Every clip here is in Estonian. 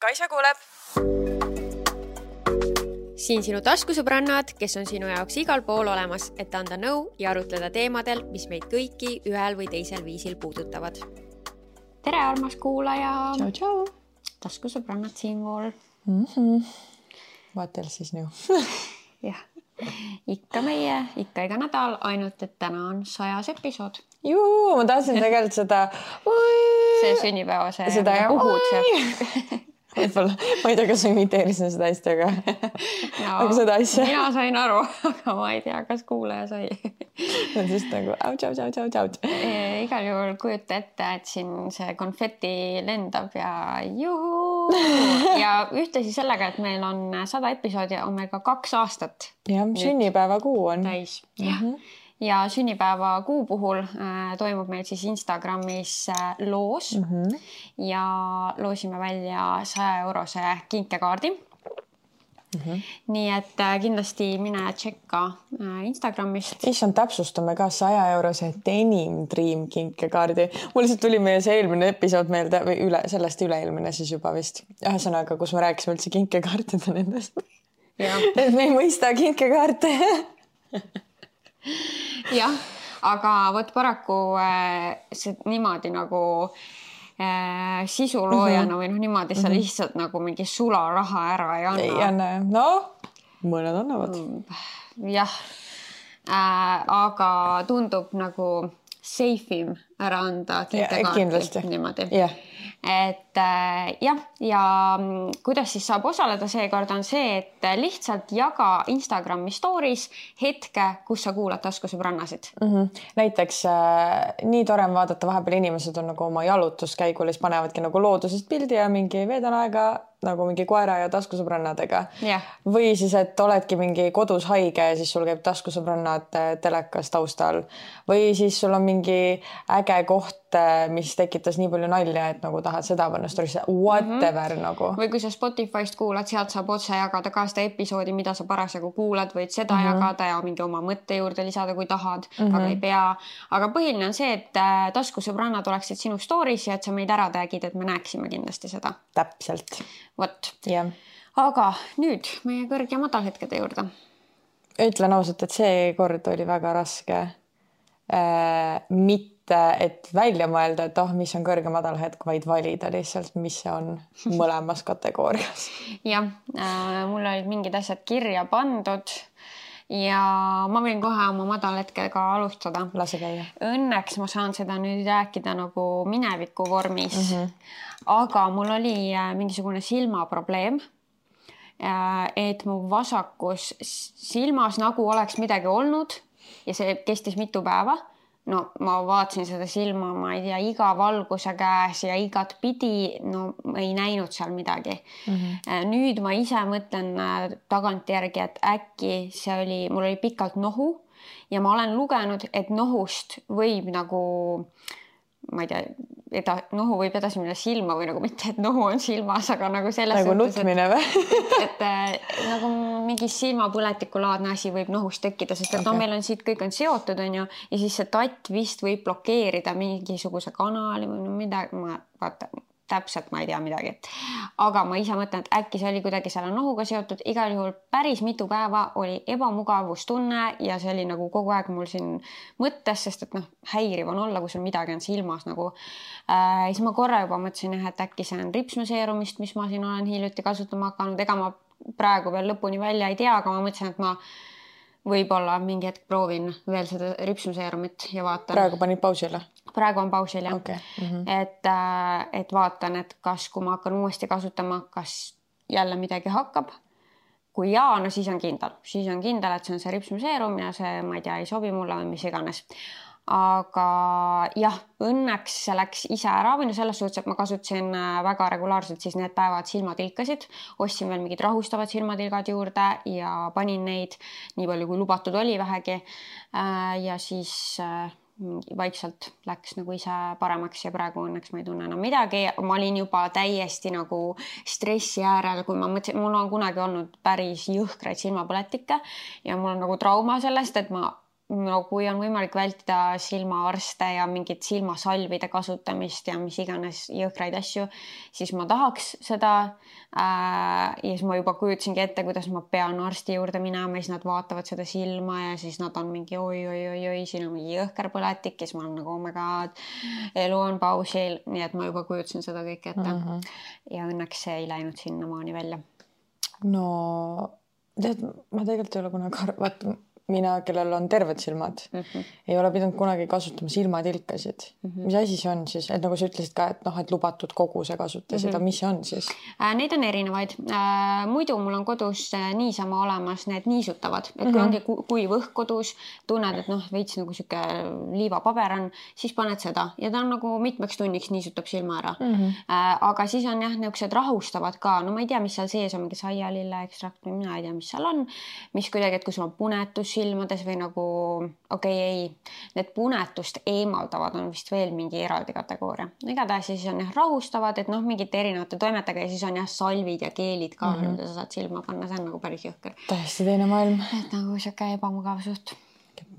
Kaisa kuuleb. Siin sinu taskusõbrannad, kes on sinu jaoks igal pool olemas, et anda nõu ja arutleda teemadel, mis meid kõiki ühel või teisel viisil puudutavad. Tere, armas kuulaja! Tšau, tšau! Taskusõbrannad siinpool. Vaatel siis nõu. Jah, ikka iga nädal, ainult et täna on 100 episood. Juu, ma tahtsin tegelikult seda... See sünnipäeva see puhud see. Võib-olla, ma ei tea, kas imiteerisin seda hästi, aga seda asja. Mina sain aru, aga ma ei tea, kas kuulaja sai. Just nagu tšau. Igal juhul kujuta ette, et siin see konfetti lendab ja juhu. Ja ühtesi sellega, et meil on 100 episoodi, on meil ka 2 aastat. Ja, sünnipäeva kuu on. Täis, jah. Ja sünnipäeva kuu puhul toimub meil siis Instagramis loos ja loosime välja 100 € kinkekaardi. Nii et kindlasti mine tšekka Instagramist. Issand, täpsustame ka 100 € Denim Dream kinkekaardi. Mul lihtsalt tuli meie see eelmine episood meelde või sellest üleilmine siis juba vist. Ühesõnaga, kus me rääkisime üldse kinkekaartide nendest. Et me ei mõista kinkekaarte. Jah, aga võt paraku see niimoodi nagu sisuloojana või niimoodi sa lihtsalt nagu mingi sularaha ära ei anna. Ei anna, mõned annavad. Jah, aga tundub nagu safe'im ära anda kinkekaarti niimoodi. Et jah, ja kuidas siis saab osaleda seekord on see, et lihtsalt jaga Instagrami stories hetke, kus sa kuulad taskusõbrannasid. Näiteks nii tore vaadata, vahepeal inimesed on nagu oma jalutuskäigul, siis panevadki nagu loodusest pildi ja mingi veedan aega nagu mingi koera ja taskusõbrannadega. Või siis, et oledki mingi kodus haige ja siis sul käib taskusõbrannad telekas taustal. Või siis sul on mingi äge koht, mis tekitas nii palju nalja, et nagu tahad seda panna storisse, whatever nagu. Või kui sa Spotify'st kuulad, sealt saab otse jagada ka seda episoodi, mida sa parasjagu kuulad, võid seda jagada ja mingi oma mõtte juurde lisada, kui tahad, aga ei pea. Aga põhiline on see, et taskusõbrannad oleksid sinu stories ja et sa meid ära tagid, et me näeksime kindlasti seda. Täpselt. Vot. Aga nüüd meie kõrg- ja madalhetkede juurde. Ütlen ausalt, et see kord oli väga raske. Mitte, et välja mõelda, et mis on kõrge madalhetk, vaid valida lihtsalt, mis see on mõlemas kategoorias. Jah, mul olid mingid asjad kirja pandud ja ma võin kohe oma madalhetkega alustada. Lase käia. Õnneks ma saan seda nüüd rääkida nagu mineviku vormis, aga mul oli mingisugune silmaprobleem, et mu vasakus silmas nagu oleks midagi olnud ja see kestis mitu päeva. No ma vaatasin seda silma, ma ei tea, iga valguse käes ja igat pidi, ei näinud seal midagi. Nüüd ma ise mõtlen tagantjärgi, et äkki mul oli pikalt nohu ja ma olen lugenud, et nohust võib nagu, ma ei tea, nohu võib edasi minna silma või nagu mitte, et nohu on silmas, aga nagu selles nagu nutmine või? et nagu mingi silmapõletikulaadne asi võib nohust tekkida, sest et meil on siit kõik on seotud, on ju, ja siis see tatt vist võib blokeerida mingisuguse kanali või midagi, täpselt ma ei tea midagi. Aga ma ise mõtlen, et äkki see oli kuidagi selle nohuga seotud. Igal juhul päris mitu päeva oli ebamugavustunne ja see oli nagu kogu aeg mul siin mõttes, sest et häiriv on olla, kui sul midagi on silmas nagu. Siis ma korra juba mõtlesin, et äkki see on ripsmeseerumist, mis ma siin olen hiljuti kasutama hakanud. Ega ma praegu veel lõpuni välja ei tea, aga ma mõtlesin, et ma võib-olla mingi hetk proovin veel seda ripsmeseerumit ja vaatan. Praegu panid pausile? Praegu on pausil, jah. Okay. Et vaatan, et kas kui ma hakkan uuesti kasutama, kas jälle midagi hakkab. Kui jaa, no siis on kindel. Siis on kindel, et see on see ripsmeseerum ja see, ma ei tea, ei sobi mulle või mis iganes. Aga jah, õnneks see läks ise ära või selles suhtes, et ma kasutasin väga regulaarselt siis need päevad silmatilkasid. Ostsin veel mingid rahustavad silmatilgad juurde ja panin neid nii palju, kui lubatud oli vähegi. Ja siis vaikselt läks nagu ise paremaks ja praegu õnneks ma ei tunne enam midagi. Ma olin juba täiesti nagu stressi äärel, kui ma mõtlesin, mul on kunagi olnud päris jõhkraid silmapõletikke ja mul on nagu trauma sellest, et ma no kui on võimalik vältida silmaarste ja mingit silmasalvide kasutamist ja mis iganes jõhkraid asju, siis ma tahaks seda. Ja siis ma juba kujutasingi ette, kuidas ma pean arsti juurde minema ja siis nad vaatavad seda silma ja siis nad on mingi oi, siin on mingi jõhker põletik ja siis ma olen nagu oh my god, elu on pausil, nii et ma juba kujutasin seda kõike ette. Ja õnneks see ei läinud sinnamaani välja. No tead, ma tegelikult ei ole kunagi vaata, mina, kellel on terved silmad, ei ole pidanud kunagi kasutama silmatilkasid. Mis asi see on siis? Et nagu sa ütlesid ka, et et lubatud koguse kasutasid, aga mis see on siis? Neid on erinevaid. Muidu mul on kodus niisama olemas need niisutavad, et kui ongi kuiv õhk kodus, tunned, et veits nagu siuke liivapaber on, siis paned seda ja ta on nagu mitmeks tunniks niisutab silma ära. Aga siis on jah, niisugused rahustavad ka. No ma ei tea, mis seal sees on, mingi saialille ekstrakt või mina ei tea, mis seal on, mis kuidagi, et kui sul on punetus silmades või nagu need punetust eemaldavad on vist veel mingi eraldi kategooria. Igatahes siis on rahustavad, et mingite erinevate toimetega ja siis on salvid ja keelid ka, mida sa saad silma panna, see on nagu päris jõhker. Täiesti teine maailm. Et nagu siuke ebamugav suht.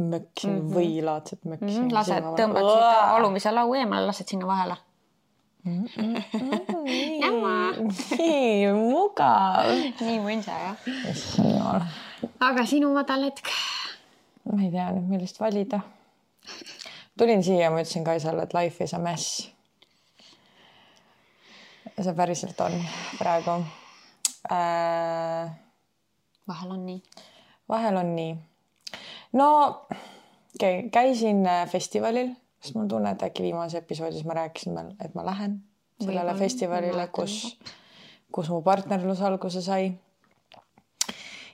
Möksi, võilaadset möksi. Lased, tõmbad seda alumise lau eemale, lased sinna vahele. Nii mugav. Nii mõnsa, jah. Aga sinu madal hetk? Ma ei tea nüüd, millist valida. Tulin siia ja ma ütlesin Kaisale, et life is a mess. See päriselt on praegu. Vahel on nii. Vahel on nii. No, käisin festivalil, sest mul tunne, et äkki viimase episoodis ma rääkisin, et ma lähen sellele festivalile, kus mu partnerlus alguse sai.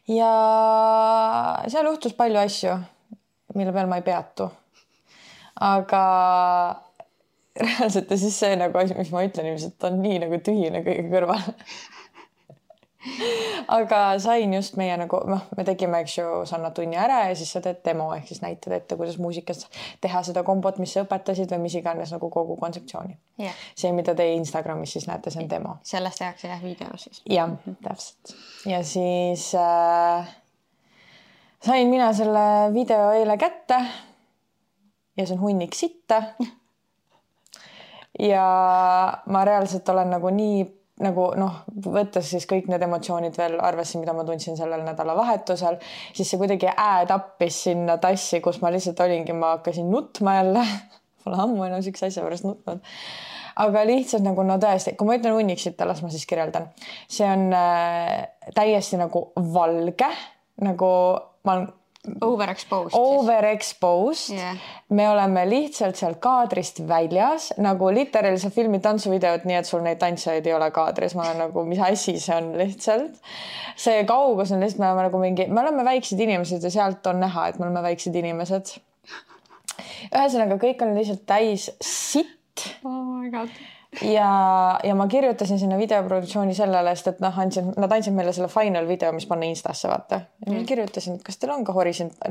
Ja seal juhtus palju asju, mille peal ma ei peatu. Aga reaalselt siis see nagu asi, mis ma ütlen, ilmselt on nii nagu tühine kõige kõrval. Aga sain just meie nagu, me tegime, eks ju, Sanna tunni ära ja siis sa teed demo, ehk siis näitad ette, kuidas muusikas teha seda kombot, mis sa õpetasid või mis iganes nagu kogu kontseptsiooni. Yeah. See, mida te Instagramis siis näete, see on demo. Sellest tehakse jah video siis. Jah, täpselt. Ja siis sain mina selle video eile kätte ja see on hunnik sitta. Ja ma reaalselt olen nagu nii võttes siis kõik need emotsioonid veel arvesse, mida ma tundsin sellel nädalavahetusel, siis see kuidagi tappis sinna tassi, kus ma lihtsalt olingi, ma hakkasin nutma jälle. Pole ammu enam üks asja pärast nutnud. Aga lihtsalt nagu tõesti, kui ma ütlen hunnik sitta, las ma siis kirjeldan. See on täiesti nagu valge, nagu ma olen Overexposed. Yeah. Me oleme lihtsalt seal kaadrist väljas, nagu literaali sa filmid tantsuvideot, nii et sul neid tantsijaid ei ole kaadris. Ma olen nagu, mis asi see on lihtsalt. See kaugus on lihtsalt, me oleme väiksed inimesed ja sealt on näha, et me oleme väiksed inimesed. Ühesõnaga, kõik on lihtsalt täis sitt. Oh my god. Ja ma kirjutasin sinna videoproduktsiooni sellele, sest et nad andsid meile selle final video, mis panna Instasse, vaata. Ja ma kirjutasin, et kas teil on ka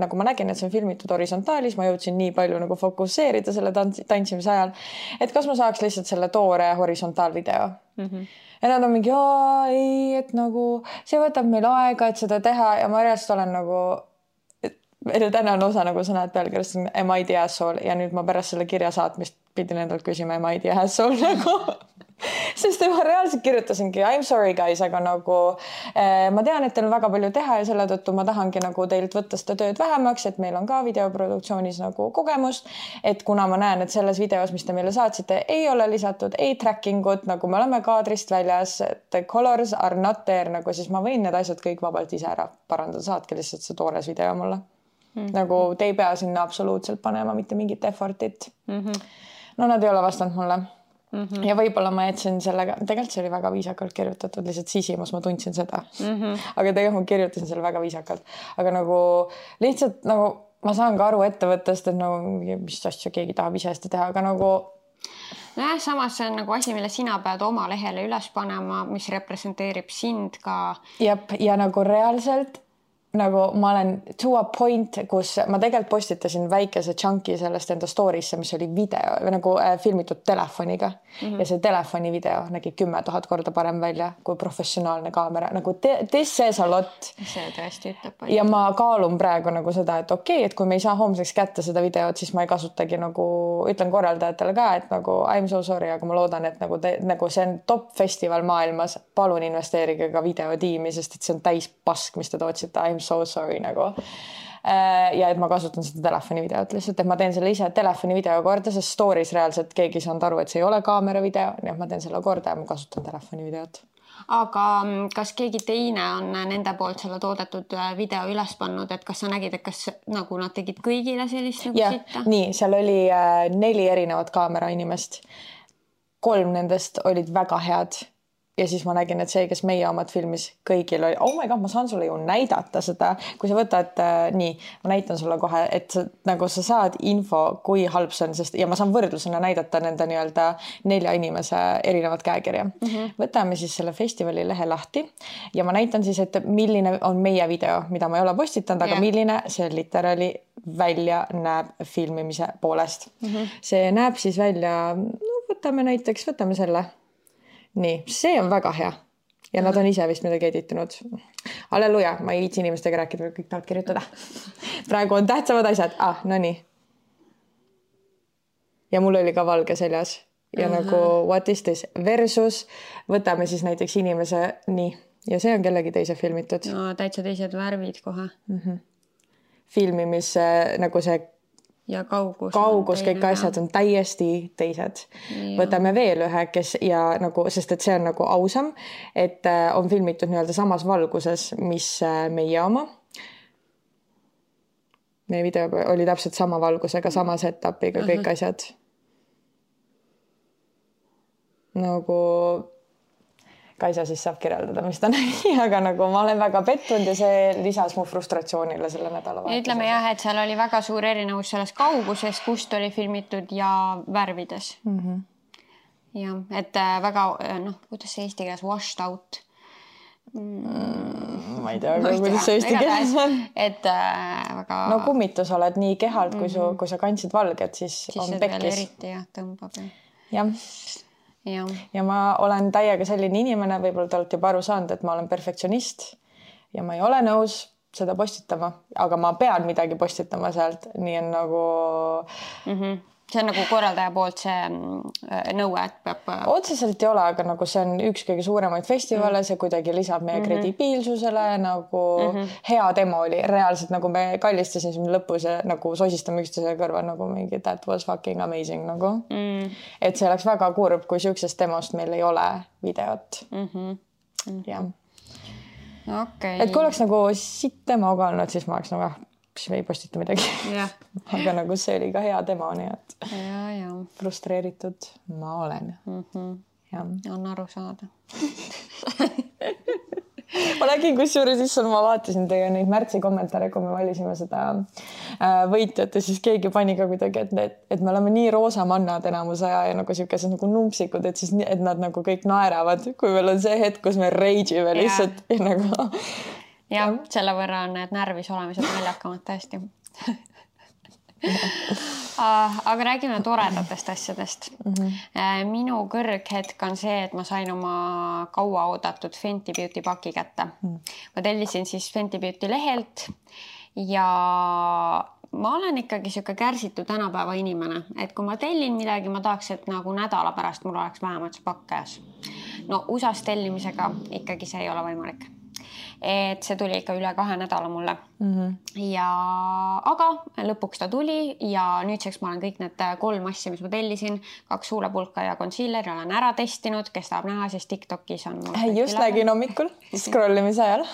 nagu ma nägin, et see on filmitud horisontaalis, ma jõudsin nii palju nagu fokusseerida selle tantsimise ajal, et kas ma saaks lihtsalt selle toore horisontaalvideo. Ja nad on mingi, ei, et nagu see võtab meil aega, et seda teha ja ma reaalselt olen nagu täna on osa, nagu sa näed pealkirjast, am I the asshole ja nüüd ma pärast selle kirja saatmist pidin endalt küsima, am I the asshole nagu. Sest ma reaalselt kirjutasingi, I'm sorry guys, aga nagu ma tean, et teil on väga palju teha ja selle tõttu ma tahangi nagu teilt võtta seda tööd vähemaks, et meil on ka videoproduktsioonis nagu kogemust, et kuna ma näen, et selles videos, mis te meile saatsite, ei ole lisatud ei tracking ut, nagu me oleme kaadrist väljas, the colors are not there, nagu siis ma võin need asjad kõik vabalt ise ära parandada, saatke lihtsalt see toores video mulle. Nagu te ei pea sinna absoluutselt panema mitte mingit effortit. No nad ei ole vastanud mulle. Ja võib-olla ma jätsin sellega, tegelikult see oli väga viisakalt kirjutatud, lihtsalt sisimus ma tundsin seda. Aga tegelikult ma kirjutasin selle väga viisakalt. Aga nagu lihtsalt nagu ma saan ka aru ettevõttest, et nagu mis asja keegi tahab ise seda teha, aga nagu nojah, samas see on nagu asi, mille sina pead oma lehele üles panema, mis representeerib sind ka. Ja nagu reaalselt nagu ma olen to a point, kus ma tegelikult postitasin väikese chunki sellest enda story'sse, mis oli video või nagu filmitud telefoniga ja see telefoni video nägi 10 000 korda parem välja kui professionaalne kaamera. Nagu this says a lot. See tõesti ütleb. Ja ma kaalun praegu nagu seda, et okei, et kui me ei saa homseks kätte seda videot, siis ma ei kasutagi nagu, ütlen korraldajatele ka, et nagu I'm so sorry, aga ma loodan, et nagu see on top festival maailmas. Palun investeerige ka videotiimi, sest et see on täis pask, mis te tootsite. I'm so sorry nagu. Ja et ma kasutan seda telefoni videot lihtsalt, et ma teen selle ise telefoni video korda, sest stories reaalselt keegi ei saanud aru, et see ei ole kaamera video, nii et ma teen selle korda ja ma kasutan telefoni videot. Aga kas keegi teine on nende poolt selle toodetud video üles pannud, et kas sa nägid, et kas nagu nad tegid kõigile sellist nagu sitta? Nii, seal oli 4 erinevat kaamera inimest. 3 nendest olid väga head. Ja siis ma nägin, et see, kes meie omad filmis kõigil oli, oh my god, ma saan sulle ju näidata seda, kui sa võtad nii, ma näitan sulle kohe, et nagu sa saad info, kui halb see on, sest ja ma saan võrdlusena näidata nende nii-öelda 4 inimese erinevat käekirja. Võtame siis selle festivali lehe lahti ja ma näitan siis, et milline on meie video, mida ma ei ole postitanud, aga milline see literaali välja näeb filmimise poolest. See näeb siis välja, no, võtame selle. Nii, see on väga hea. Ja nad on ise vist midagi editanud. Halleluja, ma ei viitsi inimestega rääkida, kõik tahavad kirjutada. Praegu on tähtsamad asjad. No nii. Ja mul oli ka valge seljas. Ja nagu what is this? Versus võtame siis näiteks inimese nii. Ja see on kellegi teise filmitud. No, täitsa teised värvid kohe. Filmimis nagu see ja kaugus, kõik asjad on täiesti teised. Võtame veel ühe, kes ja nagu, sest et see on nagu ausam, et on filmitud nii-öelda samas valguses, mis meie oma. Meie video oli täpselt sama valgusega, sama setupiga, kõik asjad. Nagu Kaisa siis saab kirjeldada, mis ta nägi, aga nagu ma olen väga pettunud ja see lisas mu frustratsioonile selle nädala vahetusel. Ütleme jah, et seal oli väga suur erinevus selles kauguses, kust oli filmitud ja värvides. Ja, et väga, kuidas see eesti keeles washed out? Ma ei tea, kuidas see eesti keeles on. Et väga... No kummitus oled nii kehalt, kui sa kandsid valget, siis on pekkis. Siis veel eriti jah, tõmbab. Jah. Ja ma olen täiega selline inimene, võib-olla te olete juba aru saanud, et ma olen perfektsionist ja ma ei ole nõus seda postitama, aga ma pean midagi postitama sealt, nii on nagu... See on nagu korraldaja poolt see nõue, et peab... Otseselt ei ole, aga nagu see on üks kõige suuremaid festivale, see kuidagi lisab meie kredibiilsusele, nagu hea demo oli. Reaalselt nagu me kallistasime lõpus ja nagu sosistame üksteise kõrva nagu mingi that was fucking amazing nagu. Et see oleks väga kurb, kui siuksest demost meil ei ole videot. Jah. Okay. Et kui oleks nagu siit demo ka olnud, siis ma oleks nagu... siis me ei postita midagi. Aga nagu see oli ka hea demo, nii et frustreeritud ma olen. On aru saada. Ma nägin, kusjuures issand, ma vaatasin teie neid märtsi kommentaare, kui me valisime seda võitjat ja siis keegi pani ka kuidagi, et me oleme nii roosamannad enamuse aja ja nagu siukesed nagu numpsikud, et siis et nad nagu kõik naeravad, kui meil on see hetk, kus me rage'ime lihtsalt ja nagu... Ja, selle võrra on need närvis olemised naljakamad tõesti. Aga räägime toredatest asjadest. Minu kõrghetk on see, et ma sain oma kaua oodatud Fenty Beauty paki kätte. Ma tellisin siis Fenty Beauty lehelt ja ma olen ikkagi siuke kärsitud tänapäeva inimene, et kui ma tellin midagi, ma tahaks, et nagu nädala pärast mul oleks vähemalt see pakk käes. No USAs tellimisega ikkagi see ei ole võimalik. Et see tuli ikka üle 2 nädala mulle. Ja aga lõpuks ta tuli ja nüüdseks ma olen kõik need 3 asja, mis ma tellisin, 2 huulepulka ja concealer olen ära testinud, kes tahab näha, siis TikTokis on just nägin hommikul scrollimise ajal.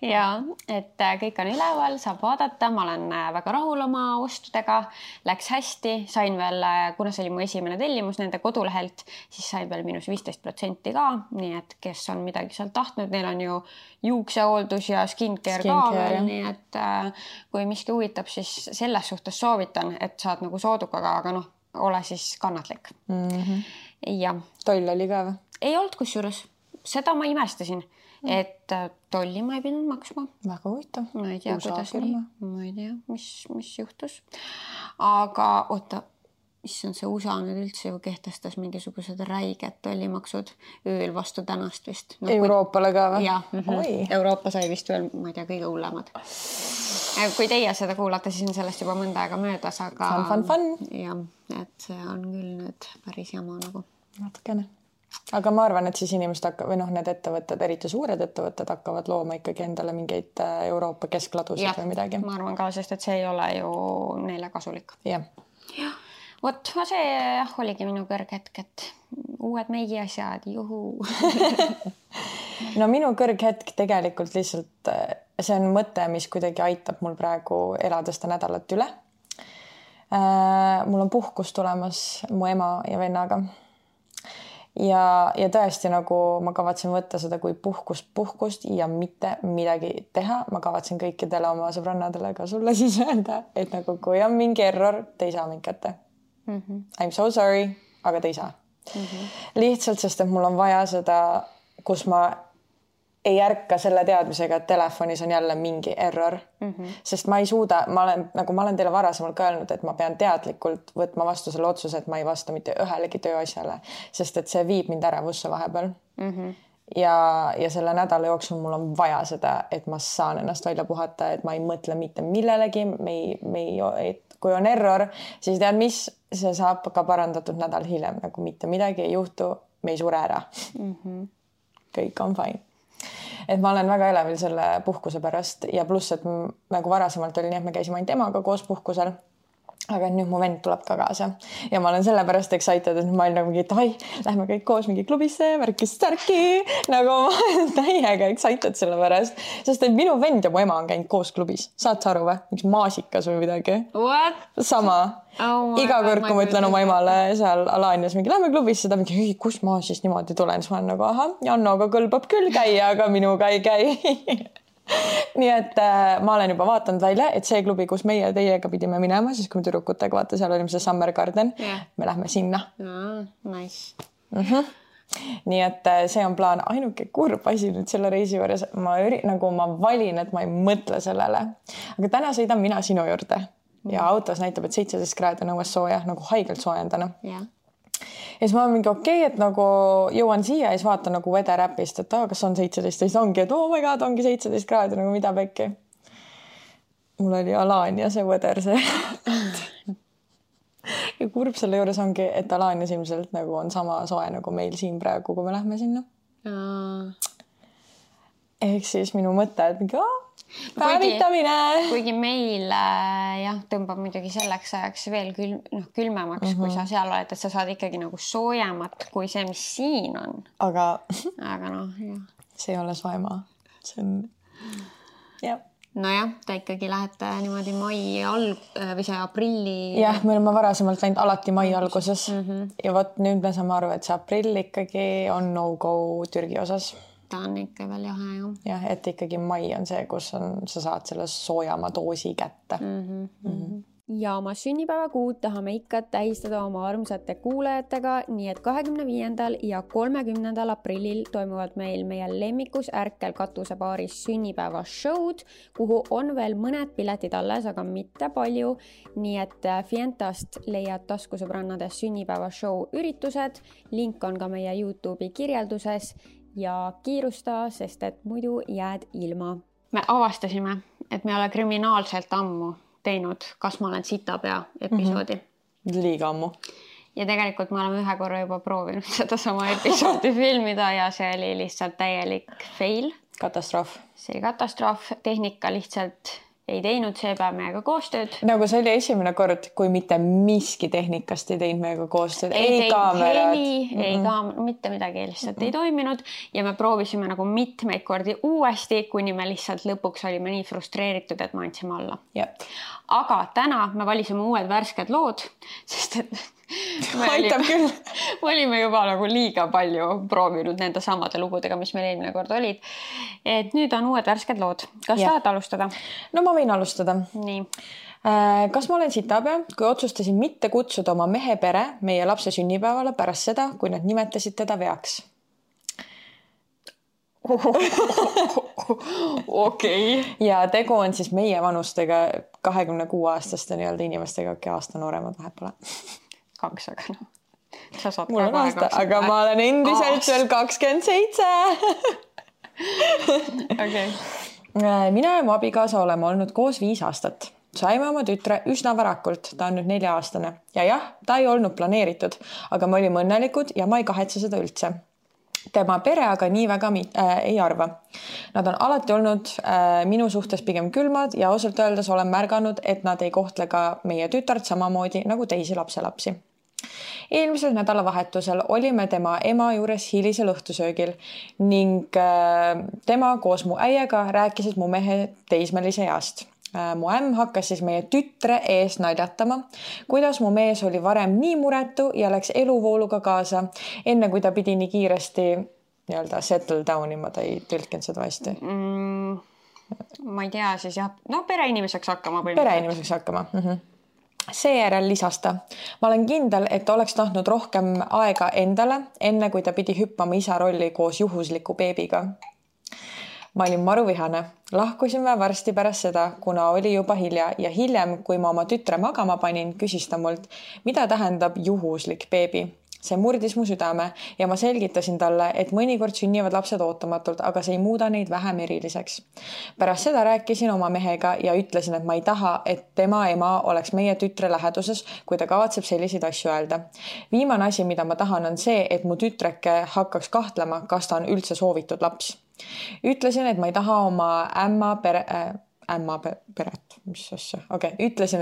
Ja, et kõik on üleval, saab vaadata, ma olen väga rahul oma ostudega, läks hästi, sain veel, kuna see oli mu esimene tellimus nende kodulehelt, siis sain veel minus 15% ka, nii et kes on midagi sealt tahtnud, neil on ju juuksehooldus ja skincare ka veel, nii et kui miski huvitab, siis selles suhtes soovitan, et saad nagu soodukaga, aga noh, ole siis kannatlik. Ja. Toll oli ka või? Ei olnud kusjuures. seda ma imestasin, et tolli ma ei pidanud maksma. Väga huvitav. Ma ei tea, kuidas nii. Ma ei tea, mis juhtus. Aga oota, issand, see USA nüüd üldse ju kehtestas mingisugused räiged tollimaksud ööl vastu tänast vist. Euroopale ka või? Jah, Euroopa sai vist veel, ma ei tea, kõige hullemad. Kui teie seda kuulate, siis on sellest juba mõnda aega möödas, aga... Fun. Jah, et see on küll nüüd päris jama nagu. Natukene. Aga ma arvan, et siis inimesed või need ettevõtted, eriti suured ettevõtted hakkavad looma ikkagi endale mingeid Euroopa keskladusid või midagi. Ma arvan ka, sest et see ei ole ju neile kasulik. Jah. Vot, see oligi minu kõrghetk, et uued meigi asjad, juhu. No minu kõrghetk tegelikult lihtsalt, see on mõte, mis kuidagi aitab mul praegu elada seda nädalat üle. Mul on puhkus tulemas mu ema ja vennaga. Ja tõesti nagu ma kavatsen võtta seda kui puhkust ja mitte midagi teha. Ma kavatsen kõikidele oma sõbrannadele ka sulle siis öelda, et nagu kui on mingi error, te ei saa mind kätte. I'm so sorry, aga te ei saa. Lihtsalt, sest et mul on vaja seda, kus ma ei ärka selle teadmisega, et telefonis on jälle mingi error. Sest ma ei suuda, ma olen teile varasemalt ka öelnud, et ma pean teadlikult võtma vastu selle otsuse, et ma ei vasta mitte ühelegi tööasjale, sest et see viib mind ärevusse vahepeal. Ja selle nädala jooksul mul on vaja seda, et ma saan ennast välja puhata, et ma ei mõtle mitte millelegi, kui on error, siis tead mis, see saab ka parandatud nädal hiljem, nagu mitte midagi ei juhtu, me ei sure ära. Kõik on fine. Et ma olen väga elevil selle puhkuse pärast ja pluss, et nagu varasemalt oli nii, et me käisime ainult emaga koos puhkusel, aga nüüd mu vend tuleb ka kaasa ja ma olen selle pärast excited, et ma olen nagu mingi, et ai, lähme kõik koos mingi klubisse, värki, nagu ma olen täiega excited selle pärast, sest et minu vend ja mu ema on käinud koos klubis. Saad sa aru või? Miks maasikas või midagi? What? Sama. Iga kord, kui ma ütlen oma emale seal Alanias mingi, lähme klubisse, ta mingi, kus ma siis niimoodi tulen, siis ma olen nagu, aha, Jannoga kõlbab küll käia, aga minuga ei käi. Nii et ma olen juba vaatanud välja, et see klubi, kus meie teiega pidime minema, siis kui me tüdrukutega, vaata, seal olime see Summer Garden, me lähme sinna. Nice. Nii et see on plaan. Ainuke kurb asi nüüd selle reisi juures, ma valin, et ma ei mõtle sellele. Aga täna sõidan mina sinu juurde ja autos näitab, et 17 kraadi on õues sooja, nagu haigelt soojendana. Ja siis ma olen mingi okei, et nagu jõuan siia ja siis vaatan nagu weather appist, et kas on 17, siis ongi, et oh my god, ongi 17 kraadi, nagu mida pekki. Mul oli Alania see weather see. Ja kurb selle juures ongi, et Alanias ilmselt nagu on sama soe nagu meil siin praegu, kui me lähme sinna. Ehk siis minu mõte, et mingi päevitamine. Kuigi meil tõmbab muidugi selleks ajaks veel külmemaks, kui sa seal oled, et sa saad ikkagi nagu soojemat kui see, mis siin on. Aga jah. See ei ole soemaa. See on... jah. Nojah, te ikkagi lähete niimoodi või see aprilli... Jah, me oleme varasemalt läinud alati mai alguses. Ja võt nüüd me saame aru, et see aprill ikkagi on no-go Türgi osas. Ta on ikka veel jahe, jah. Jah, et ikkagi mai on see, kus sa saad selle soojama doosi kätte. Ja oma sünnipäevakuud tahame ikka tähistada oma armsate kuulajatega, nii et 25. ja 30. aprillil toimuvad meil meie lemmikus Ärkel katusebaaris sünnipäevashowd, kuhu on veel mõned piletid alles, aga mitte palju. Nii et Fientast leiad taskusõbrannade sünnipäevashow üritused, link on ka meie YouTube'i kirjelduses ja kiirusta, sest et muidu jääd ilma. Me avastasime, et me ei ole kriminaalselt ammu teinud Kas ma olen sitapea episoodi. Liiga ammu. Ja tegelikult me oleme ühe korra juba proovinud seda sama episoodi filmida ja see oli lihtsalt täielik fail. Katastroof. See oli katastroof. Tehnika lihtsalt ei teinud see päev meiega koostööd. Nagu see oli esimene kord, kui mitte miski tehnikast ei teinud meiega koostööd. Ei kaamerad. Ei kaamerad, mitte midagi lihtsalt ei toiminud ja me proovisime nagu mitmeid kordi uuesti, kuni me lihtsalt lõpuks olime nii frustreeritud, et me andsime alla. Jep. Aga täna me valisime uued värsked lood, sest et me olime juba nagu liiga palju proovinud nende samade lugudega, mis meil eelmine kord olid. Et nüüd on uued värsked lood. Kas tahad alustada? No ma võin alustada. Nii. Kas ma olen sitapea, kui otsustasin mitte kutsuda oma mehe pere meie lapse sünnipäevale pärast seda, kui nad nimetasid teda veaks? Okei. Ja tegu on siis meie vanustega 26-aastaste nii-öelda inimestega, kes aasta nooremad vahepeal. 2, aga noh. Sa saad mul on aasta, aga ma olen endiselt veel 27. Okei. Mina ja mu abikaasa oleme olnud koos 5 aastat. Saime oma tütre üsna varakult, ta on nüüd 4-aastane. Ja jah, ta ei olnud planeeritud, aga me olime õnnelikud ja ma ei kahetse seda üldse. Tema pere aga nii väga ei arva. Nad on alati olnud minu suhtes pigem külmad ja ausalt öeldes olen märganud, et nad ei kohtle ka meie tütart samamoodi nagu teisi lapselapsi. Eelmisel nädalavahetusel olime tema ema juures hilisel õhtusöögil ning tema koos mu äiega rääkisid mu mehe teismelise east. Mu ämm hakkas siis meie tütre ees naljatama, kuidas mu mees oli varem nii muretu ja läks eluvooluga kaasa, enne kui ta pidi nii kiiresti nii-öelda settle down ima, ta ei tõlkinud seda hästi. Ma ei tea siis jah, no pereinimeseks hakkama. Pereinimeseks hakkama. Seejärel lisas ta. Ma olen kindel, et oleks tahtnud rohkem aega endale, enne kui ta pidi hüppama isa rolli koos juhusliku beebiga. Ma olin maruvihane. Lahkusime varsti pärast seda, kuna oli juba hilja ja hiljem, kui ma oma tütre magama panin, küsis ta mult, mida tähendab juhuslik beebi. See murdis mu südame ja ma selgitasin talle, et mõnikord sünnivad lapsed ootamatult, aga see ei muuda neid vähem eriliseks. Pärast seda rääkisin oma mehega ja ütlesin, et ma ei taha, et tema ema oleks meie tütre läheduses, kui ta kavatseb selliseid asju öelda. Viimane asi, mida ma tahan, on see, et mu tütreke hakkaks kahtlema, kas ta on üldse soovitud laps. Ütlesin, et ma ei taha oma Ütlesin,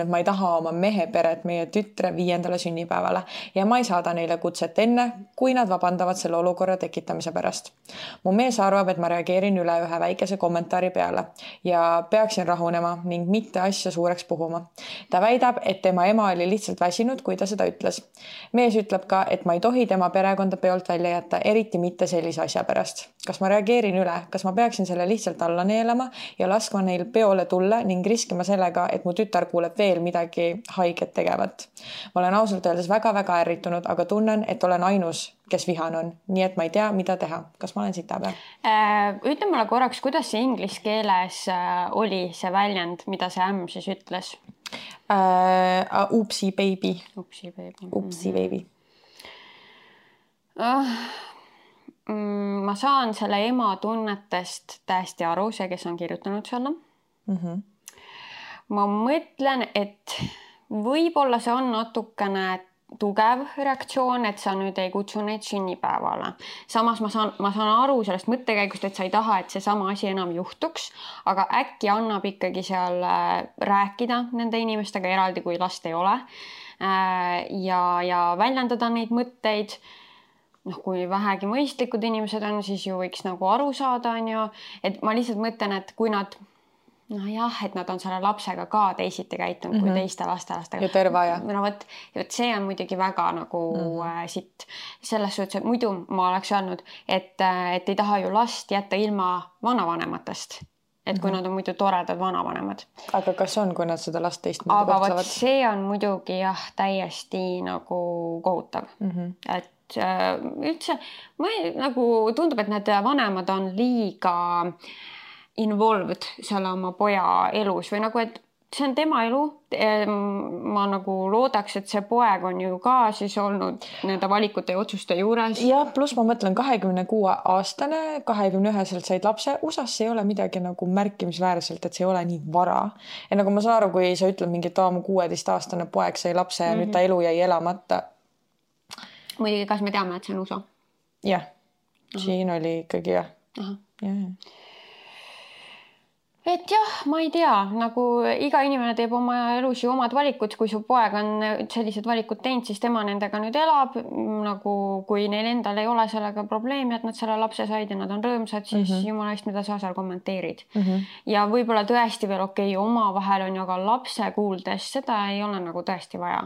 et ma ei taha oma mehe peret meie tütre 5. sünnipäevale ja ma ei saada neile kutset enne, kui nad vabandavad selle olukorra tekitamise pärast. Mu mees arvab, et ma reageerin üle ühe väikese kommentaari peale ja peaksin rahunema ning mitte asja suureks puhuma. Ta väidab, et tema ema oli lihtsalt väsinud, kui ta seda ütles. Mees ütleb ka, et ma ei tohi tema perekonda peolt välja jätta, eriti mitte sellise asja pärast. Kas ma reageerin üle? Kas ma peaksin selle lihtsalt alla neelama ja laskma neil peole tulla ning riskima sellega, et mu tütar kuuleb veel midagi haiget tegevat. Ma olen ausalt öeldes väga-väga ärritunud, aga tunnen, et olen ainus, kes vihan on. Nii et ma ei tea, mida teha. Kas ma olen sita peal? Ütle mulle korraks, kuidas see inglise keeles oli see väljend, mida see ämm siis ütles? Upsi baby. Upsi baby. Upsi baby. Ma saan selle ema tunnetest täiesti aru, see, kes on kirjutanud selle. Ma mõtlen, et võib-olla see on natukene tugev reaktsioon, et sa nüüd ei kutsu neid sünnipäevale. Samas ma saan aru sellest mõttekäigust, et sa ei taha, et see sama asi enam juhtuks, aga äkki annab ikkagi seal rääkida nende inimestega eraldi, kui last ei ole ja väljendada neid mõtteid. Kui vähegi mõistlikud inimesed on, siis ju võiks nagu aru saada, on ju. Et ma lihtsalt mõtlen, et kui nad et nad on selle lapsega ka teisiti käitunud kui teiste lastelastega. Ja tervaja. See on muidugi väga nagu sitt. Selles suhtes, et muidu ma oleks öelnud, et ei taha ju last jätta ilma vanavanematest. Et kui nad on muidu toredad vanavanemad. Aga kas on, kui nad seda last teist aga kohtlevad? See on muidugi täiesti nagu kohutav. Et üldse nagu tundub, et need vanemad on liiga involved selle oma poja elus või nagu, et see on tema elu. Ma nagu loodaks, et see poeg on ju ka siis olnud nende valikute ja otsuste juures. Ja pluss ma mõtlen 26-aastane, 21-selt said lapse. USAs ei ole midagi nagu märkimisväärselt, et see ei ole nii vara. Ja nagu ma saan aru, kui sa ütled mingi 16-aastane poeg sai lapse ja nüüd ta elu jäi elamata. Muidugi, kas me teame, et see on USA? Jah, siin oli ikkagi jah. Et jah, ma ei tea, nagu iga inimene teeb oma elus ju omad valikud, kui su poeg on sellised valikud teinud, siis tema nendega nüüd elab, nagu kui neil endal ei ole sellega probleemi, et nad selle lapse said ja nad on rõõmsad, siis jumala eest, mida sa seal kommenteerid. Ja võib-olla tõesti veel oma vahel on ju, aga lapse kuuldes seda ei ole nagu tõesti vaja.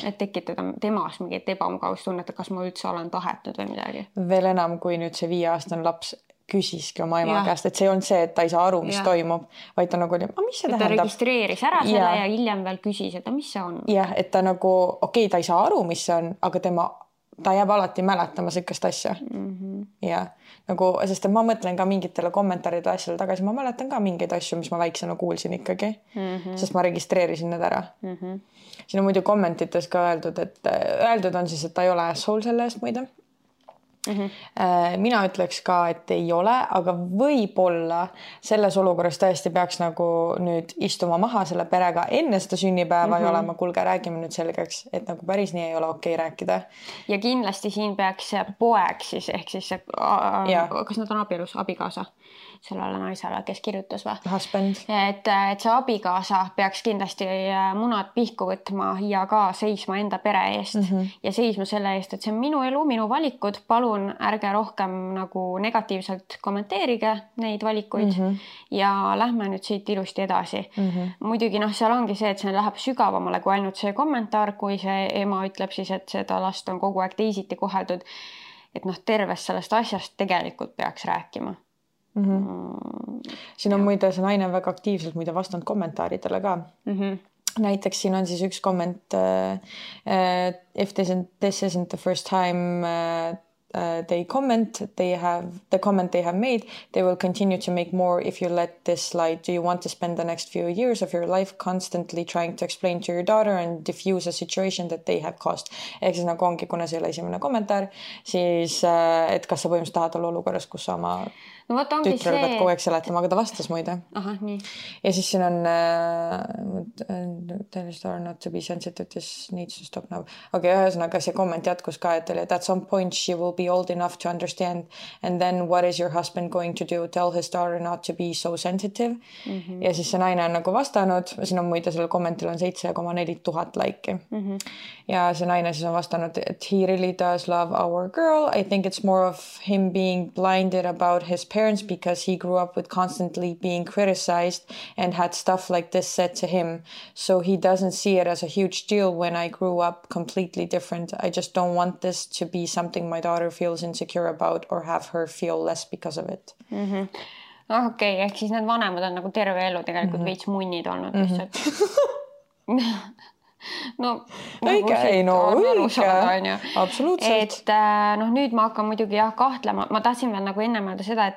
Et tekitada temas mingit ebamugavustunnet, et kas ma üldse olen tahetud või midagi. Veel enam, kui nüüd see 5-aastane laps küsiski oma ema käest, et see on see, et ta ei saa aru, mis toimub, vaid ta nagu oli, mis see tähendab? Ta registreeris ära selle ja hiljem veel küsis, et mis see on? Jah, et ta nagu, ta ei saa aru, mis see on, aga ta jääb alati mäletama sellist asja. Ja nagu, sest ma mõtlen ka mingitele kommentaaridele asjale tagasi, ma mäletan ka mingeid asju, mis ma väiksena kuulsin ikkagi, sest ma registreerisin need ära. Siin on muidu kommentites ka öeldud on siis, et ta ei ole asshole selle eest muide. Mina ütleks ka, et ei ole, aga võib-olla selles olukorras tõesti peaks nagu nüüd istuma maha selle perega enne seda sünnipäeva ja olema, kuulge, räägime nüüd selgeks, et nagu päris nii ei ole okei rääkida. Ja kindlasti siin peaks poeg siis, ehk siis kas nad on abielus, abikaasa sellele naisele, kes kirjutas või? Husband. Et see abikaasa peaks kindlasti munad pihku võtma ja ka seisma enda pere eest ja seisma selle eest, et see on minu elu, minu valikud, palun ärge rohkem nagu negatiivselt kommenteerige neid valikuid ja lähme nüüd siit ilusti edasi. Muidugi seal ongi see, et see läheb sügavamale kui ainult see kommentaar, kui see ema ütleb siis, et seda last on kogu aeg teisiti koheldud, et tervest sellest asjast tegelikult peaks rääkima. Siin on muide see naine väga aktiivselt muide vastanud kommentaaridele ka. Näiteks siin on siis üks komment if this isn't the first time they comment, the comment they have made, they will continue to make more if you let this slide. Do you want to spend the next few years of your life constantly trying to explain to your daughter and diffuse a situation that they have caused? Ehk siis nagu ongi, kuna see ei ole esimene kommentaar, siis et kas sa põhimõtteliselt tahad olla olukorras, kus sa oma tütrel pead kogu aeg seletama, aga ta vastas muide. Aha, nii. Ja siis siin on tell your daughter not to be sensitive, this needs to stop now. Okay, ühesõnaga see komment jätkus ka, et at some point she will be old enough to understand and then what is your husband going to do? Tell his daughter not to be so sensitive. Ja siis see naine on nagu vastanud, siin on muide sellel kommentil on 7,4 tuhat laiki. Ja see naine siis on vastanud, et he really does love our girl. I think it's more of him being blinded about his parents because he grew up with constantly being criticized and had stuff like this said to him. So he doesn't see it as a huge deal when I grew up completely different. I just don't want this to be something my daughter feels insecure about or have her feel less because of it. Okei, ehk siis need vanemad on nagu terve elu tegelikult veits munnid olnud lihtsalt. Õige, absoluutselt. Et nüüd ma hakkan muidugi kahtlema. Ma tahtsin veel nagu enne mõelda seda,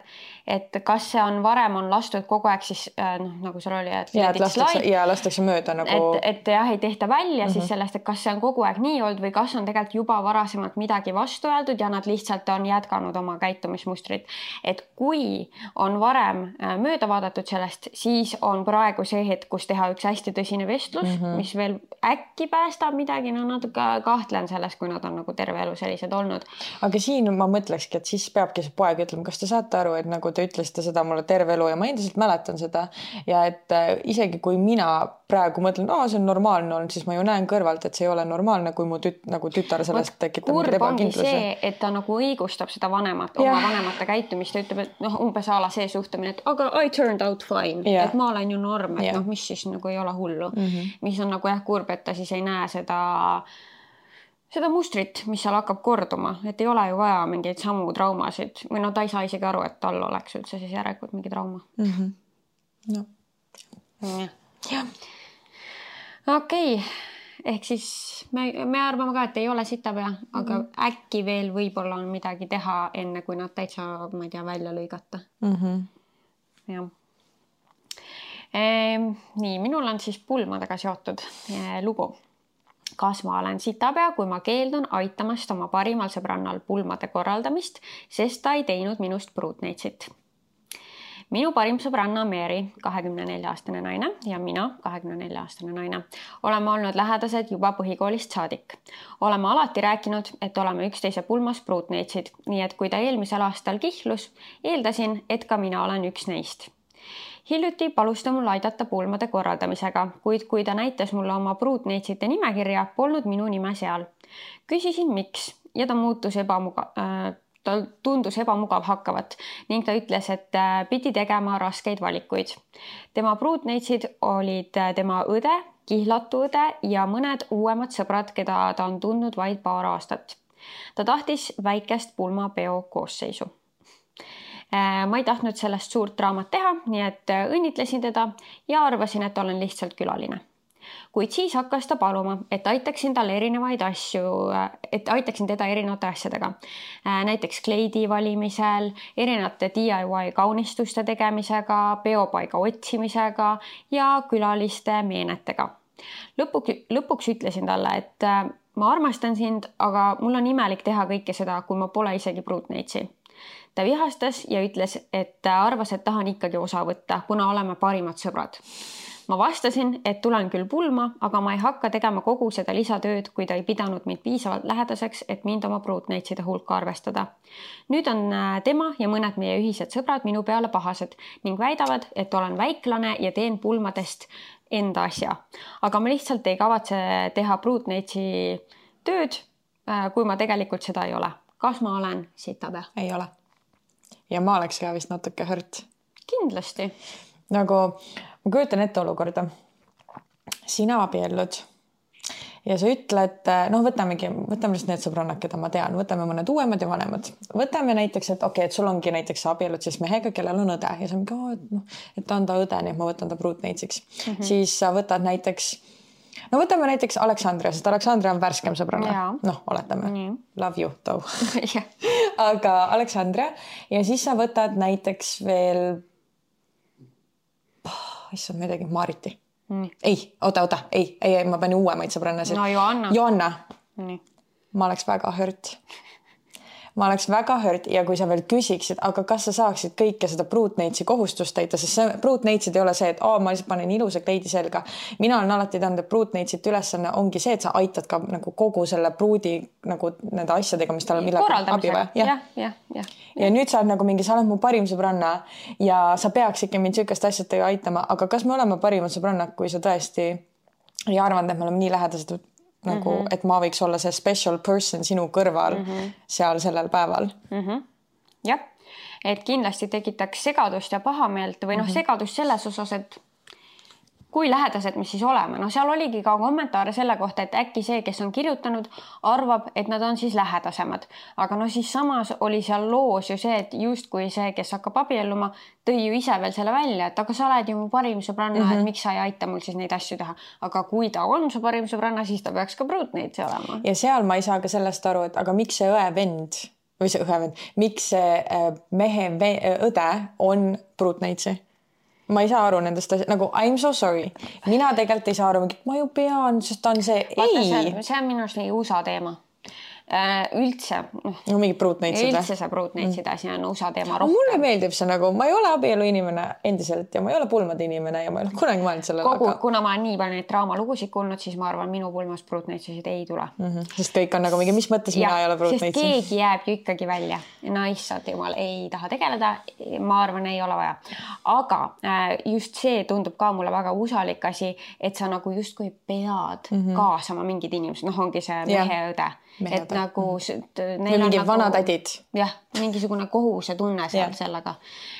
et kas see on varem on lastud kogu aeg siis nagu seal oli, et lastakse mööda nagu et jah, ei tehta välja siis sellest, et kas see on kogu aeg nii olnud või kas on tegelikult juba varasemalt midagi vastu öeldud ja nad lihtsalt on jätkanud oma käitumismustrit. Et kui on varem mööda vaadatud sellest, siis on praegu see hetk, kus teha üks hästi tõsine vestlus, mis veel äkki päästab midagi, natuke kahtlen selles, kui nad on nagu terve elu sellised olnud. Aga siin ma mõtlekski, et siis peabki see poeg ütlema, kas te saate aru, et nagu te ütlesite seda mulle terve elu ja ma endiselt mäletan seda ja et isegi kui mina praegu mõtlen, see on normaalne olnud, siis ma ju näen kõrvalt, et see ei ole normaalne, kui mu tütar sellest tekitab mingid ebakindluse. Kurb ongi see, et ta nagu õigustab seda vanemat, oma vanemate käitumist ja ütleb, et umbes ala see suhtumine, et aga I turned out fine, et ma olen ju norm, et mis siis nagu ei ole hullu. Mis on nagu kurb, et ta siis ei näe seda mustrit, mis seal hakkab korduma, et ei ole ju vaja mingeid samu traumasid või ta ei saa isegi aru, et tal oleks üldse siis järelikult mingi trauma. Okei, ehk siis me arvame ka, et ei ole sitapea, aga äkki veel võib-olla on midagi teha enne, kui nad täitsa, ma ei tea, välja lõigata. Jah. Nii, minul on siis pulmadega seotud lugu. Kas ma olen sitapea, kui ma keeldun aitamast oma parimal sõbrannal pulmade korraldamist, sest ta ei teinud minust pruutneitsit. Minu parim sõbranna Mary, 24-aastane naine ja mina, 24-aastane naine, oleme olnud lähedased juba põhikoolist saadik. Oleme alati rääkinud, et oleme üksteise pulmas pruutneitsid, nii et kui ta eelmisel aastal kihlus, eeldasin, et ka mina olen üks neist. Hiljuti palus ta mul aidata pulmade korraldamisega, kuid kui ta näitas mulle oma pruutneitsite nimekirja, polnud minu nime seal. Küsisin miks ja ta tundus ebamugav hakkavat ning ta ütles, et pidi tegema raskeid valikuid. Tema pruutneitsid olid tema õde, kihlatu õde ja mõned uuemad sõbrad, keda ta on tundnud vaid paar aastat. Ta tahtis väikest pulmapeo koosseisu. Ma ei tahtnud sellest suurt draamat teha, nii et õnnitlesin teda ja arvasin, et olen lihtsalt külaline. Kuid siis hakkas ta paluma, et aitaksin talle aitaksin teda erinevate asjadega. Näiteks kleidi valimisel, erinevate DIY kaunistuste tegemisega, peopaiga otsimisega ja külaliste meenetega. Lõpuks ütlesin talle, et ma armastan sind, aga mul on imelik teha kõike seda, kui ma pole isegi pruutneitsi. Ta vihastas ja ütles, et arvas, et tahan ikkagi osa võtta, kuna oleme parimad sõbrad. Ma vastasin, et tulen küll pulma, aga ma ei hakka tegema kogu seda lisatööd, kui ta ei pidanud mind piisavalt lähedaseks, et mind oma pruutneitside hulka arvestada. Nüüd on tema ja mõned meie ühised sõbrad minu peale pahased ning väidavad, et olen väiklane ja teen pulmadest enda asja. Aga ma lihtsalt ei kavatse teha pruutneitsi tööd, kui ma tegelikult seda ei ole. Kas ma olen sitabe? Ei ole. Ja ma oleks ka vist natuke hõrt. Kindlasti. Nagu ma kujutan ette olukorda. Sina abiellud ja sa ütled, võtame just need sõbrannad, keda ma tean, võtame mõned uuemad ja vanemad. Võtame näiteks, et et sul ongi näiteks abiellud siis mehega, kellel on õde ja sa mingi, et ta on ta õde, nii et ma võtan ta pruutneitsiks. Siis sa võtad näiteks, võtame näiteks Aleksandria, sest Aleksandria on värskem sõbranna. Oletame. Love you, though. Aga Aleksandria ja siis sa võtad näiteks veel issand midagi, Mariti. Ei, oota, ma panin uuemaid sõbrannasid. No Joanna. Ma oleks väga hõrt. Ja kui sa veel küsiksid, aga kas sa saaksid kõike seda pruutneitsi kohustust täita, sest see pruutneitsid ei ole see, et ma lihtsalt panen ilusa kleidi selga. Mina olen alati teinud, et pruutneitsid ülesanne ongi see, et sa aitad ka nagu kogu selle pruudi nagu nende asjadega, mis tal on abi vaja. Ja nüüd sa oled nagu mingi, sa oled mu parim sõbranna ja sa peaks ikka mind sükast asjad aitama, aga kas me oleme parimad sõbrannad, kui sa tõesti ei arvanud, et me oleme nii lähedased nagu, et ma võiks olla see special person sinu kõrval seal sellel päeval. Jah, et kindlasti tekitaks segadust ja pahameelt või segadust selles osas, et kui lähedased me siis oleme. Seal oligi ka kommentaare selle kohta, et äkki see, kes on kirjutanud, arvab, et nad on siis lähedasemad. Aga siis samas oli seal loos ju see, et just kui see, kes hakkab abielluma, tõi ju ise veel selle välja, et aga sa oled ju mu parim sõbranna, et miks sa ei aita mul siis neid asju teha. Aga kui ta on su parim sõbranna, siis ta peaks ka pruutneitsi olema. Ja seal ma ei saa ka sellest aru, et aga miks see õevend, või see õevend, miks see mehe õde on pruutneitsi? Ma ei saa aru nendest asjad, nagu I'm so sorry. Mina tegelikult ei saa aru, ma ju pean, sest ta on see, see on minu arust USA teema. Üldse. Mingi pruutneitsid. Üldse see pruutneitsid asi on USA teema rohkem. Mulle meeldib see nagu, ma ei ole abielu inimene endiselt ja ma ei ole pulmade inimene ja ma ei ole kunagi mõelnud sellele. Kuna ma olen nii palju neid draamalugusid kuulnud, siis ma arvan, minu pulmas pruutneitsisid ei tule. Sest kõik on nagu mingi, mis mõttes mina ei ole pruutneitsi? Sest keegi jääb ju ikkagi välja. Issand jumal, ei taha tegeleda. Ma arvan, ei ole vaja. Aga just see tundub ka mulle väga usalik asi, et sa nagu justkui pead kaasama mingid inimesed. Ongi see meheõde. Et nagu neil on vanad ädid. Jah, mingisugune kohuse tunne seal sellega.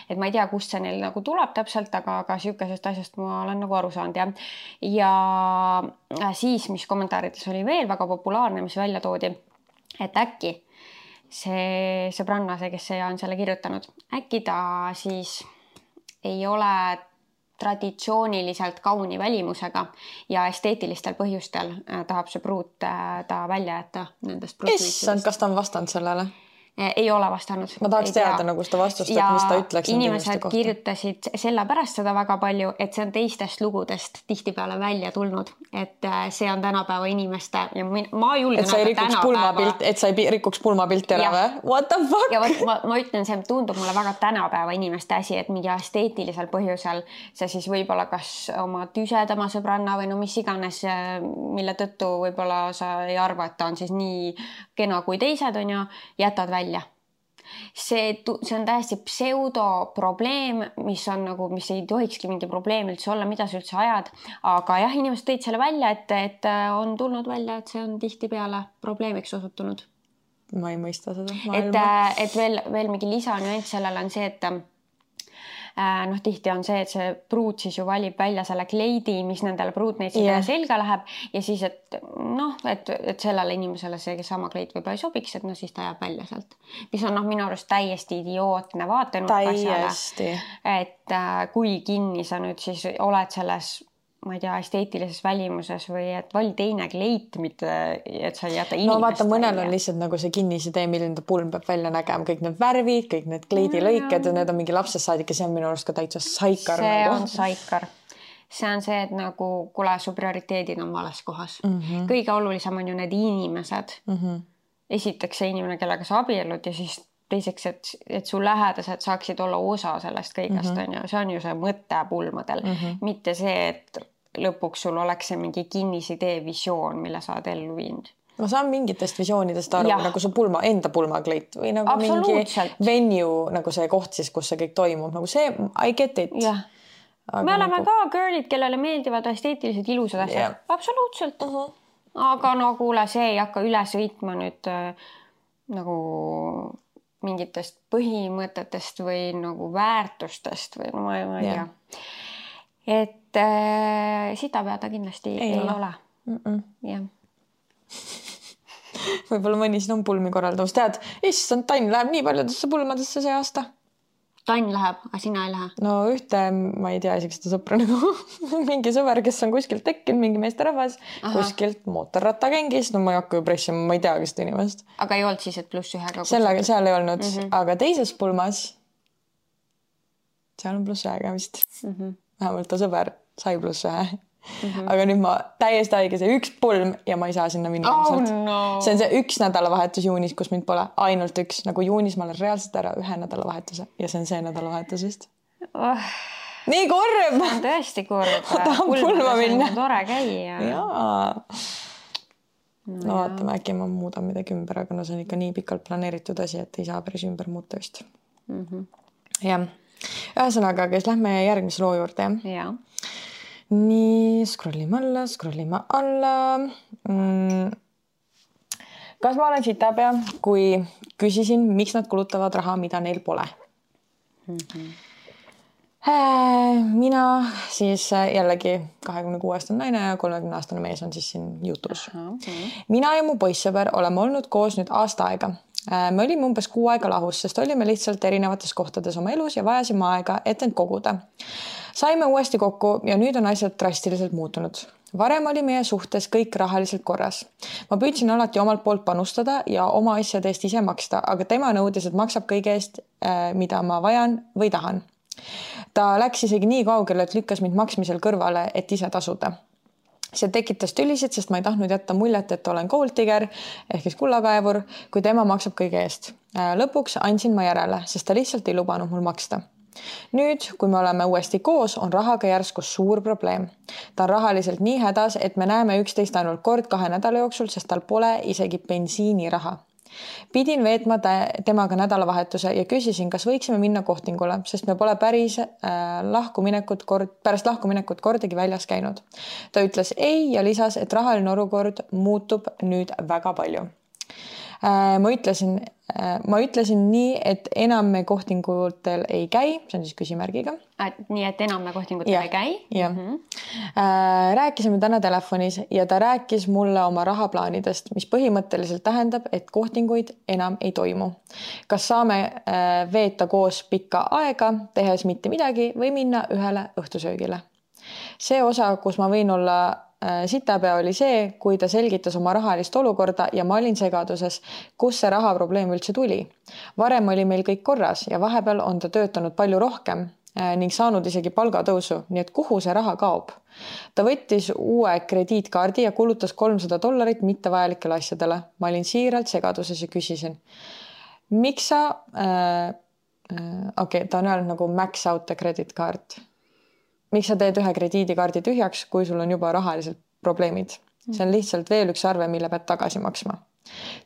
Et ma ei tea, kust see neil nagu tuleb täpselt, aga sükesest asjast ma olen nagu aru saanud. Ja siis, mis kommentaarides oli veel väga populaarne, mis välja toodi, et äkki see sõbranna, kes on selle kirjutanud, äkki ta siis ei ole traditsiooniliselt kauni välimusega ja esteetilistel põhjustel tahab see pruut ta välja jätta nendest pruutneitsidest. Kas ta on vastanud sellele? Ei ole vastanud. Ma tahaks teada nagu seda vastust, et mis ta ütleks. Ja inimesed kirjutasid selle pärast seda väga palju, et see on teistest lugudest tihtipeale välja tulnud, et see on tänapäeva inimeste ja ma julgen et sa ei rikuks pulmapilti ära või? What the fuck? Ja ma ütlen, see tundub mulle väga tänapäeva inimeste asi, et mingi esteetilisel põhjusel see siis võib-olla kas oma tüsedama sõbranna või mis iganes, mille tõttu võib-olla sa ei arva, et ta on siis nii kena kui teised on ja jätad välja. See on täiesti pseudoprobleem, mis ei tohikski mingi probleem üldse olla, mida sa üldse ajad. Aga jah, inimesed tõid selle välja, et on tulnud välja, et see on tihtipeale probleemiks osutunud. Ma ei mõista seda maailma. Et veel mingi lisanüanss sellele on see, et tihti on see, et see pruut siis ju valib välja selle kleidi, mis nendele pruutneitsidele selga läheb ja siis, et sellele inimesele see sama kleit võib-olla ei sobiks, et siis ta jääb välja sealt. Mis on minu arust täiesti idiootne vaatenurk asjale. Et kui kinni sa nüüd siis oled selles ma ei tea, esteetilises välimuses või et vali teine kleit, mitte et sa ei jäta inimest. No vaata, mõnel on lihtsalt nagu see kinnisidee, milline ta pulm peab välja nägema, kõik need värvid, kõik need kleidilõiked ja need on mingi lapsest saadik ja see on minu arust ka täitsa saikar. See on saikar. See on see, et nagu kuule, su prioriteedid on vales kohas. Kõige olulisem on ju need inimesed. Esiteks see inimene, kellega sa abiellud ja siis teiseks, et su lähedased saaksid olla osa sellest kõigest, on ju. See on ju see mõte pulmadel. Mitte see, et lõpuks sul oleks see mingi kinnisidee visioon, mille sa oled ellu viinud. Ma saan mingitest visioonidest aru, nagu su enda pulmakleit või nagu mingi venue, nagu see koht siis, kus see kõik toimub. Nagu see, I get it. Me oleme ka girlid, kellele meeldivad esteetilised ilusad asjad. Absoluutselt. Aga no kuule, see ei hakka üle sõitma nüüd nagu mingitest põhimõtetest või nagu väärtustest või no ma ei tea. Et sitä peada kindlasti ei ole. Jah. Võib-olla mõni siin on pulmi korraldamas. Tead, issand, Tann läheb nii paljudesse pulmadesse see aasta. Tann läheb, aga sina ei lähe? No ühte, ma ei tea isegi seda sõpra nagu mingi sõber, kes on kuskilt tekkinud, mingi meesterahvas, kuskilt mootorrattagängis. No ma ei hakka ju pressima, ma ei tea seda inimest. Aga ei olnud siis, et +1-ga? Seal ei olnud, aga teises pulmas seal on +1-ga vist. Vähemalt ta sõber sai +1. Aga nüüd ma täiesti haige see üks pulm ja ma ei saa sinna minna. See on see üks nädalavahetus juunis, kus mind pole ainult üks. Nagu juunis ma olen reaalselt ära ühe nädalavahetuse ja see on see nädalavahetus vist. Nii kurb! See on tõesti kurb. Ma tahan pulma minna. Tore käia. No vaatame, äkki ma muudan midagi ümber, aga no see on ikka nii pikalt planeeritud asi, et ei saa päris ümber muuta vist. Jah. Ühesõnaga, kes lähme järgmise loo juurde. Jah. Nii, scrollime alla. Kas ma olen sitapea, kui küsisin, miks nad kulutavad raha, mida neil pole? Mina siis jällegi 26-aastane naine ja 30-aastane mees on siis siin jutus. Mina ja mu poissõber oleme olnud koos nüüd aasta aega. Me olime umbes 6 aega lahus, sest olime lihtsalt erinevates kohtades oma elus ja vajasime aega, et end koguda. Saime uuesti kokku ja nüüd on asjad drastiliselt muutunud. Varem oli meie suhtes kõik rahaliselt korras. Ma püüdsin alati omalt poolt panustada ja oma asjade eest ise maksta, aga tema nõudis, et maksab kõige eest, mida ma vajan või tahan. Ta läks isegi nii kaugele, et lükkas mind maksmisel kõrvale, et ise tasuda. See tekitas tülisid, sest ma ei tahtnud jätta muljet, et olen gold digger ehk siis kullakaevur, kui tema maksab kõige eest. Lõpuks andsin ma järele, sest ta lihtsalt ei lubanud mul maksta. Nüüd, kui me oleme uuesti koos, on rahaga järsku suur probleem. Ta on rahaliselt nii hädas, et me näeme üksteist ainult kord 2 nädala jooksul, sest tal pole isegi bensiiniraha. Pidin veetma temaga nädalavahetuse ja küsisin, kas võiksime minna kohtingule, sest me pole pärast lahkuminekut kordagi väljas käinud. Ta ütles ei ja lisas, et rahaline olukord muutub nüüd väga palju. Ma ütlesin nii, et enam me kohtingutel ei käi, see on siis küsimärgiga. Nii, et enam me kohtingutel ei käi? Jah. Rääkisime täna telefonis ja ta rääkis mulle oma rahaplaanidest, mis põhimõtteliselt tähendab, et kohtinguid enam ei toimu. Kas saame veeta koos pikka aega, tehes mitte midagi või minna ühele õhtusöögile? See osa, kus ma võin olla sitapea oli see, kui ta selgitas oma rahalist olukorda ja ma olin segaduses, kus see rahaprobleem üldse tuli. Varem oli meil kõik korras ja vahepeal on ta töötanud palju rohkem ning saanud isegi palgatõusu, nii et kuhu see raha kaob. Ta võttis uue krediitkaardi ja kulutas $300 mittevajalikele asjadele. Ma olin siiralt segaduses ja küsisin, miks sa, ta on öelnud nagu max out the credit card. Miks sa teed ühe krediidikaardi tühjaks, kui sul on juba rahaliselt probleemid? See on lihtsalt veel üks arve, mille pead tagasi maksma.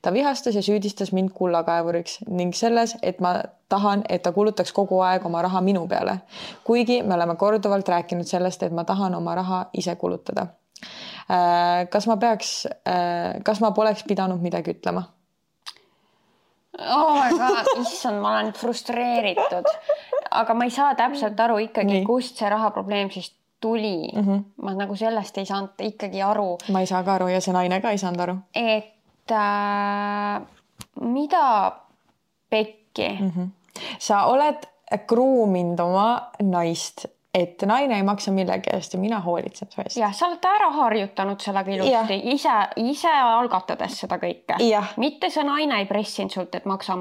Ta vihastas ja süüdistas mind kullakaevuriks ning selles, et ma tahan, et ta kulutaks kogu aeg oma raha minu peale. Kuigi me oleme korduvalt rääkinud sellest, et ma tahan oma raha ise kulutada. Kas ma poleks pidanud midagi ütlema? Oh my god, issand, ma olen frustreeritud. Aga ma ei saa täpselt aru ikkagi, kust see rahaprobleem siis tuli. Ma nagu sellest ei saanud ikkagi aru. Ma ei saa ka aru ja see naine ka ei saanud aru. Et mida pekki? Sa oled kruuminud oma naist et naine ei maksa millegi eest ja mina hoolitsen su eest. Jah, sa oled ära harjutanud sellega ilusti, ise algatades seda kõike. Mitte see naine ei pressinud sult, et maksa.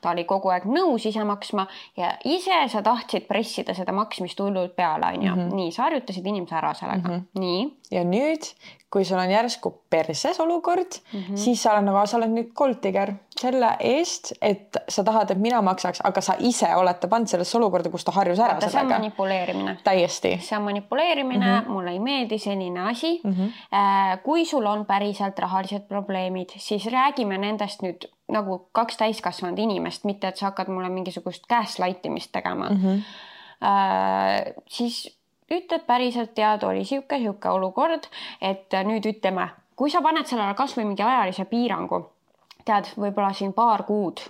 Ta oli kogu aeg nõus ise maksma ja ise sa tahtsid pressida seda maksmist hullult peale, on ju. Nii, sa harjutasid inimese ära sellega. Nii. Ja nüüd, kui sul on järsku perses olukord, siis sa oled nüüd golddigger selle eest, et sa tahad, et mina maksaks, aga sa ise olete pannud sellesse olukorda, kus ta harjus ära sellega. See on manipuleerimine. Täiesti. See on manipuleerimine, mulle ei meeldi selline asi. Kui sul on päriselt rahalised probleemid, siis räägime nendest nüüd nagu 2 täiskasvanud inimest, mitte et sa hakkad mulle mingisugust gaslightimist tegema. Siis ütled päriselt tead, oli siuke olukord, et nüüd ütleme, kui sa paned sellele kas või mingi ajalise piirangu, tead, võib-olla siin 2 kuud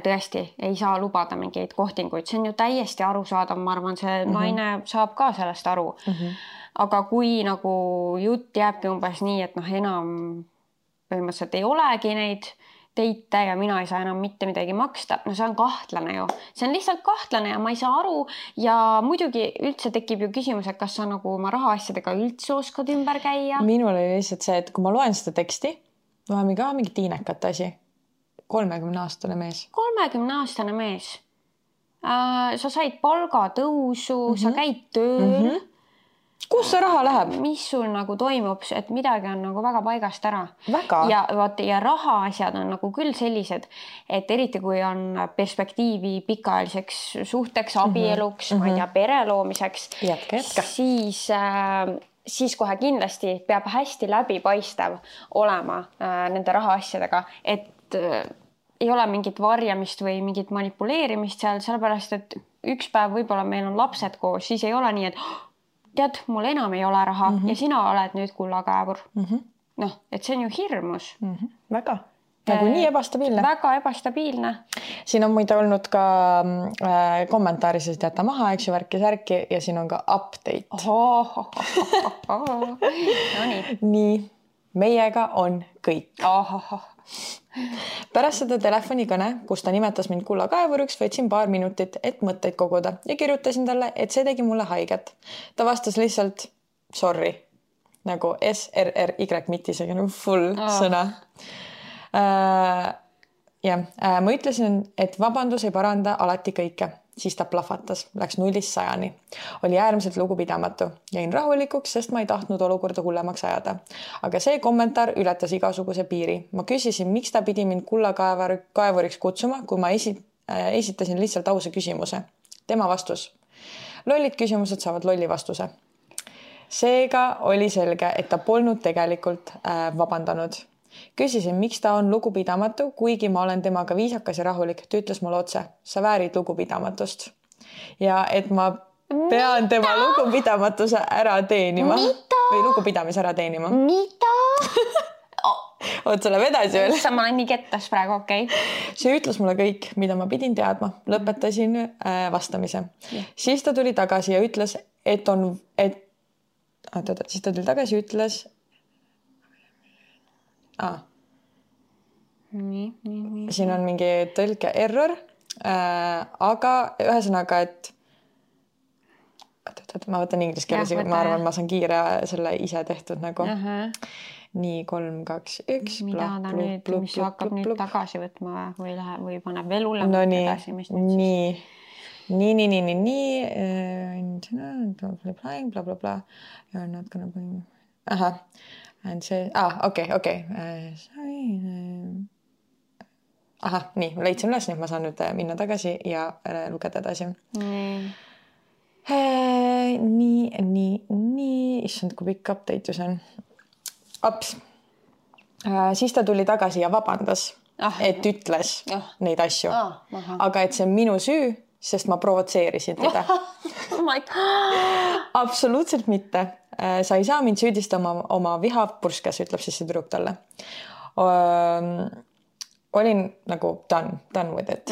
tõesti ei saa lubada mingeid kohtinguid, see on ju täiesti arusaadav, ma arvan, see naine saab ka sellest aru. Aga kui nagu jutt jääbki umbes nii, et enam põhimõtteliselt ei olegi neid teite ja mina ei saa enam mitte midagi maksta, see on kahtlane ju. See on lihtsalt kahtlane ja ma ei saa aru ja muidugi üldse tekib ju küsimus, et kas sa nagu oma rahaasjadega üldse oskad ümber käia. Minul oli lihtsalt see, et kui ma loen seda teksti, loeme ka mingi tiinekat asi. 30-aastane mees. 30-aastane mees. Sa said palgatõusu, sa käid tööl. Kus see raha läheb? Mis sul nagu toimub, et midagi on nagu väga paigast ära. Väga. Ja rahaasjad on nagu küll sellised, et eriti kui on perspektiivi pikaajaliseks suhteks, abieluks, ma ei tea, pere loomiseks, siis kohe kindlasti peab hästi läbipaistev olema nende rahaasjadega, et ei ole mingit varjamist või mingit manipuleerimist seal, sellepärast, et üks päev võib-olla meil on lapsed koos, siis ei ole nii, et tead, mul enam ei ole raha ja sina oled nüüd kullakaevur. Et see on ju hirmus. Väga. Nagu nii ebastabiilne. Väga ebastabiilne. Siin on muide olnud ka kommentaaris, et jäta maha, eks ju, värki ja siin on ka update. Nii, meiega on kõik. Pärast seda telefonikõne, kus ta nimetas mind kullakaevuriks, võtsin 2 minutit, et mõtteid koguda ja kirjutasin talle, et see tegi mulle haiget. Ta vastas lihtsalt sorry, nagu SRRY, mitte isegi nagu full sõna. Ma ütlesin, et vabandus ei paranda alati kõike. Siis ta plahvatas, läks 0-100. Oli äärmiselt lugupidamatu. Jäin rahulikuks, sest ma ei tahtnud olukorda hullemaks ajada. Aga see kommentaar ületas igasuguse piiri. Ma küsisin, miks ta pidi mind kullakaevuriks kutsuma, kui ma esitasin lihtsalt ausa küsimuse. Tema vastus. Lollid küsimused saavad lolli vastuse. Seega oli selge, et ta polnud tegelikult vabandanud. Küsisin, miks ta on lugupidamatu, kuigi ma olen temaga viisakas ja rahulik. Ta ütles mulle otse, sa väärid lugupidamatust. Ja et ma pean tema lugupidamatuse ära teenima. Või lugupidamise ära teenima. Mida? Oot, sa läheb edasi veel. Ma olen nii kettas praegu, okei. See ütles mulle kõik, mida ma pidin teadma. Lõpetasin vastamise. Siis ta tuli tagasi ja ütles, siis ta tuli tagasi ja ütles siin on mingi tõlke error, aga ühesõnaga, et ma võtan inglise keeles, ma arvan, ma saan kiire selle ise tehtud nagu. Nii, 3, 2, 1. Mida ta nüüd, mis hakkab nüüd tagasi võtma või paneb veel hullem edasi? Nii. And see, okei. Nii, leidsin üles, nii ma saan nüüd minna tagasi ja lugeda edasi. Nii, issand, kui pikk update ju see on. Siis ta tuli tagasi ja vabandas, et ütles neid asju. Aga et see on minu süü, sest ma provotseerisin teda. Absoluutselt mitte. Sa ei saa mind süüdistama oma viha purskes, ütleb siis see tüdruk talle. Olin nagu done with it.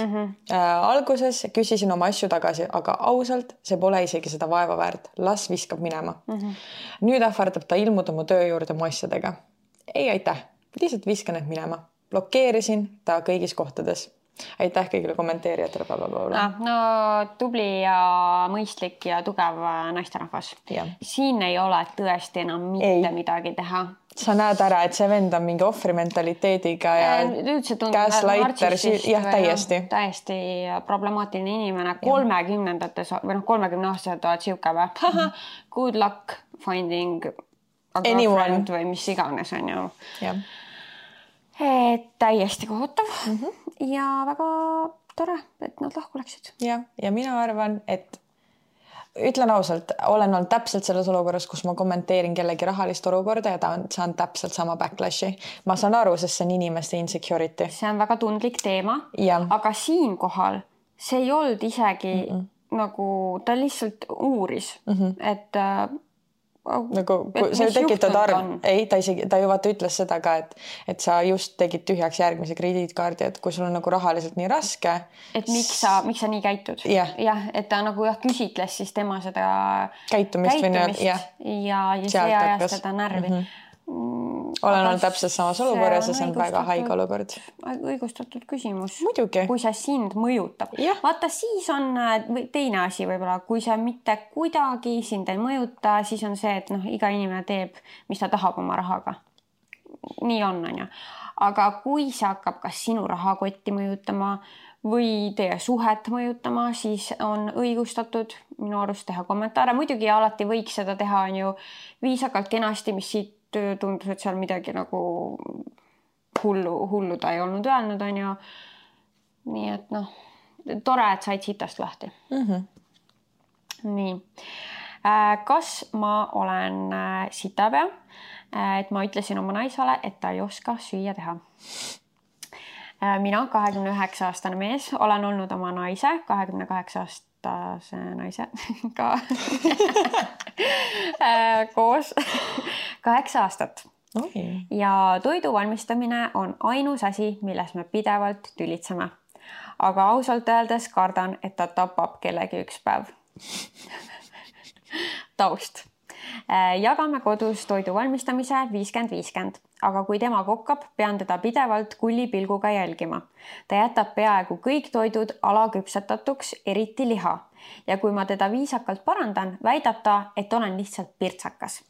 Alguses küsisin oma asju tagasi, aga ausalt, see pole isegi seda vaeva väärt. Las viskab minema. Nüüd ähvardab ta ilmuda mu töö juurde mu asjadega. Ei, aitäh. Lihtsalt viskan need minema. Blokeerisin ta kõigis kohtades. aitäh kõigile kommenteerijatele, blablabla. No tubli ja mõistlik ja tugev naisterahvas. Siin ei ole tõesti enam mitte midagi teha. Sa näed ära, et see vend on mingi ohvrimentaliteediga ja gaslighter, jah, täiesti problemaatiline inimene. 30-ndates või 30-aastased oled siuke või? Good luck finding a girlfriend või mis iganes on ju. Täiesti kohutav ja väga tore, et nad lahku läksid. Ja mina arvan, et ütlen ausalt, olen olnud täpselt selles olukorras, kus ma kommenteerin kellegi rahalist olukorda ja saan täpselt sama backlashi. Ma saan aru, sest see on inimeste insecurity. See on väga tundlik teema, aga siinkohal see ei olnud isegi nagu ta lihtsalt uuris, et nagu sa tekitad arv, ta ju vaata ütles seda ka, et sa just tegid tühjaks järgmise krediitkaardi, et kui sul on nagu rahaliselt nii raske. Et miks sa nii käitud? Jah, et ta nagu küsitles siis tema seda käitumist ja see ajas seda närvi. Olen olnud täpselt samas olukorras ja see on väga haige olukord. Õigustatud küsimus. Muidugi. Kui see sind mõjutab. Vaata, siis on teine asi võib-olla, kui see mitte kuidagi sind ei mõjuta, siis on see, et iga inimene teeb, mis ta tahab oma rahaga. Nii on ju. Aga kui see hakkab kas sinu rahakotti mõjutama või teie suhet mõjutama, siis on õigustatud minu arust teha kommentaare. Muidugi alati võiks seda teha on ju viisakalt kenasti, mis siit tundus, et seal midagi nagu hullu ta ei olnud öelnud, on ju. Nii et tore, et said sitast lahti. Nii. Kas ma olen sitapea, et ma ütlesin oma naisele, et ta ei oska süüa teha? Mina, 29-aastane mees, olen olnud oma naise, 28-aastase naise ka koos 8 aastat. Ja toidu valmistamine on ainus asi, milles me pidevalt tülitseme. Aga ausalt öeldes kardan, et ta tapab kellegi üks päev. Taust. Jagame kodus toidu valmistamise 50-50, aga kui tema kokkab, pean teda pidevalt kullipilguga jälgima. Ta jätab peaaegu kõik toidud alaküpsetatuks, eriti liha. Ja kui ma teda viisakalt parandan, väidab ta, et olen lihtsalt pirtsakas.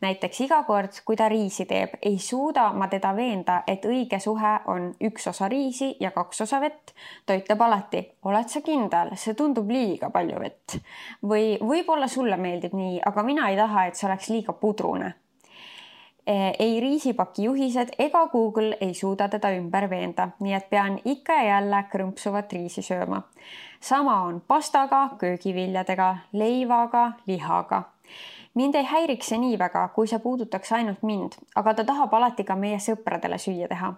Näiteks iga kord, kui ta riisi teeb, ei suuda ma teda veenda, et õige suhe on 1 osa riisi ja 2 osa vett. Ta ütleb alati, oled sa kindel, see tundub liiga palju vett. Või võib-olla sulle meeldib nii, aga mina ei taha, et see oleks liiga pudrune. Ei riisipaki juhised ega Google ei suuda teda ümber veenda, nii et pean ikka ja jälle krõmpsuvat riisi sööma. Sama on pastaga, köögiviljadega, leivaga, lihaga. Mind ei häiriks see nii väga, kui see puudutaks ainult mind, aga ta tahab alati ka meie sõpradele süüa teha.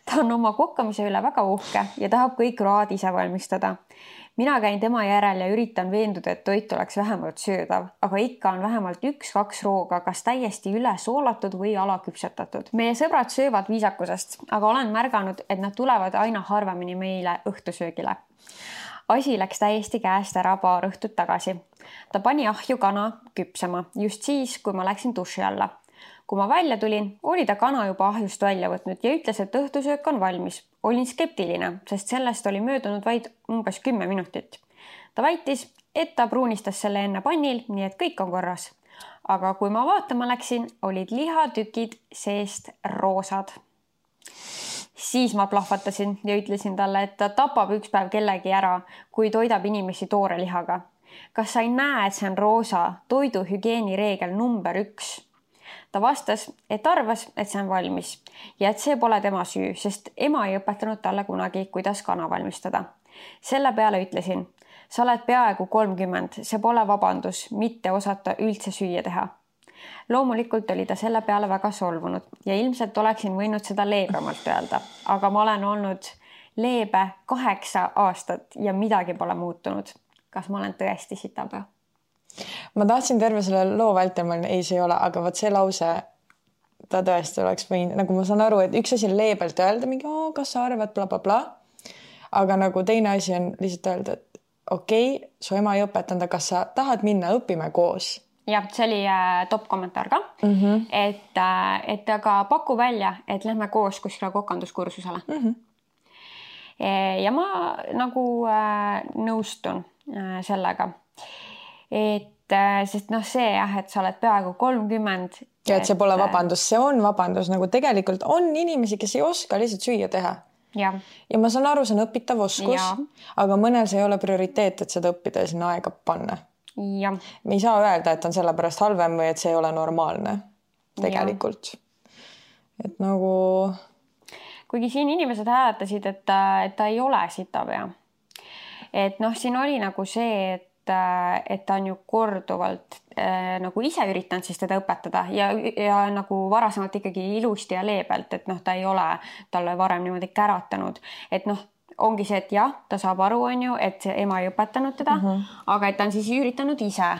Ta on oma kokkamise üle väga uhke ja tahab kõik road ise valmistada. Mina käin tema järel ja üritan veenduda, et toit oleks vähemalt söödav, aga ikka on vähemalt 1-2 rooga, kas täiesti üle soolatud või alaküpsetatud. Meie sõbrad söövad viisakusest, aga olen märganud, et nad tulevad aina harvemini meile õhtusöögile. Asi läks täiesti käest ära paar õhtut tagasi. Ta pani ahju kana küpsema just siis, kui ma läksin duši alla. Kui ma välja tulin, oli ta kana juba ahjust välja võtnud ja ütles, et õhtusöök on valmis. Olin skeptiline, sest sellest oli möödunud vaid umbes 10 minutit. Ta väitis, et ta pruunistas selle enne pannil, nii et kõik on korras. Aga kui ma vaatama läksin, olid lihatükid seest roosad. Siis ma plahvatasin ja ütlesin talle, et ta tapab üks päev kellegi ära, kui toidab inimesi toore lihaga. Kas sa ei näe, et see on roosa toiduhügieeni reegel number 1? Ta vastas, et arvas, et see on valmis ja et see pole tema süü, sest ema ei õpetanud talle kunagi, kuidas kana valmistada. Selle peale ütlesin, sa oled peaaegu 30, see pole vabandus, mitte osata üldse süüa teha. Loomulikult oli ta selle peale väga solvunud ja ilmselt oleksin võinud seda leebemalt öelda, aga ma olen olnud leebe 8 aastat ja midagi pole muutunud. Kas ma olen tõesti sitapea? Ma tahtsin terve selle loo vältel, ei, see ei ole, aga võt see lause, ta tõesti oleks võinud, nagu ma saan aru, et üks asi on leebelt öelda mingi, kas sa arvad, bla, bla, bla. Aga nagu teine asi on lihtsalt öelda, et okei, su ema ei õpetanud, kas sa tahad minna, õpime koos. Ja, see oli top kommentaar ka, et aga paku välja, et lähme koos kuskile kokanduskursusele. Ja ma nagu nõustun sellega, et sest see et sa oled peaaegu 30. Ja et see pole vabandus, see on vabandus, nagu tegelikult on inimesi, kes ei oska lihtsalt süüa teha. Ja ma saan aru, see on õpitav oskus, aga mõnel see ei ole prioriteet, et seda õppida ja sinna aega panna. Ja. Me ei saa öelda, et on sellepärast halvem või et see ei ole normaalne tegelikult. Et nagu... Kuigi siin inimesed hääletasid, et ta ei ole sitapea. Et siin oli nagu see, et ta on ju korduvalt nagu ise üritanud siis teda õpetada ja nagu varasemalt ikkagi ilusti ja leebelt, et ta ei ole talle varem niimoodi käratanud. Et ongi see, et jah, ta saab aru, on ju, et ema ei õpetanud teda, aga et ta on siis üritanud ise.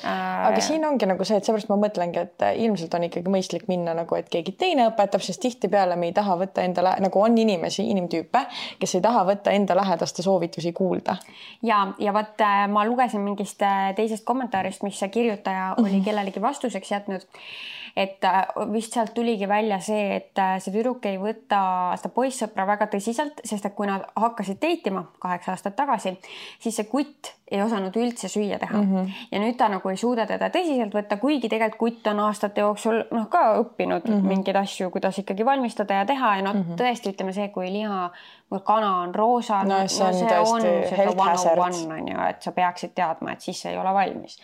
Aga siin ongi nagu see, et seepärast ma mõtlengi, et ilmselt on ikkagi mõistlik minna nagu, et keegi teine õpetab, sest tihtipeale me ei taha võtta enda, nagu on inimtüüpe, kes ei taha võtta enda lähedaste soovitusi kuulda. Ja võt, ma lugesin mingist teisest kommentaarist, mis see kirjutaja oli kellelegi vastuseks jätnud, et vist sealt tuligi välja see, et see tüdruk ei võta seda poissõpra väga tõsiselt, sest et kui nad hakkasid deitima 8 aastat tagasi, siis see kutt ei osanud üldse süüa teha. Ja nüüd ta nagu ei suuda teda tõsiselt võtta, kuigi tegelikult kutt on aastate jooksul ka õppinud mingeid asju, kuidas ikkagi valmistada ja teha. Ja tõesti ütleme see, kui liha või kana on roosa, see on seda 101 on ju, et sa peaksid teadma, et siis ei ole valmis.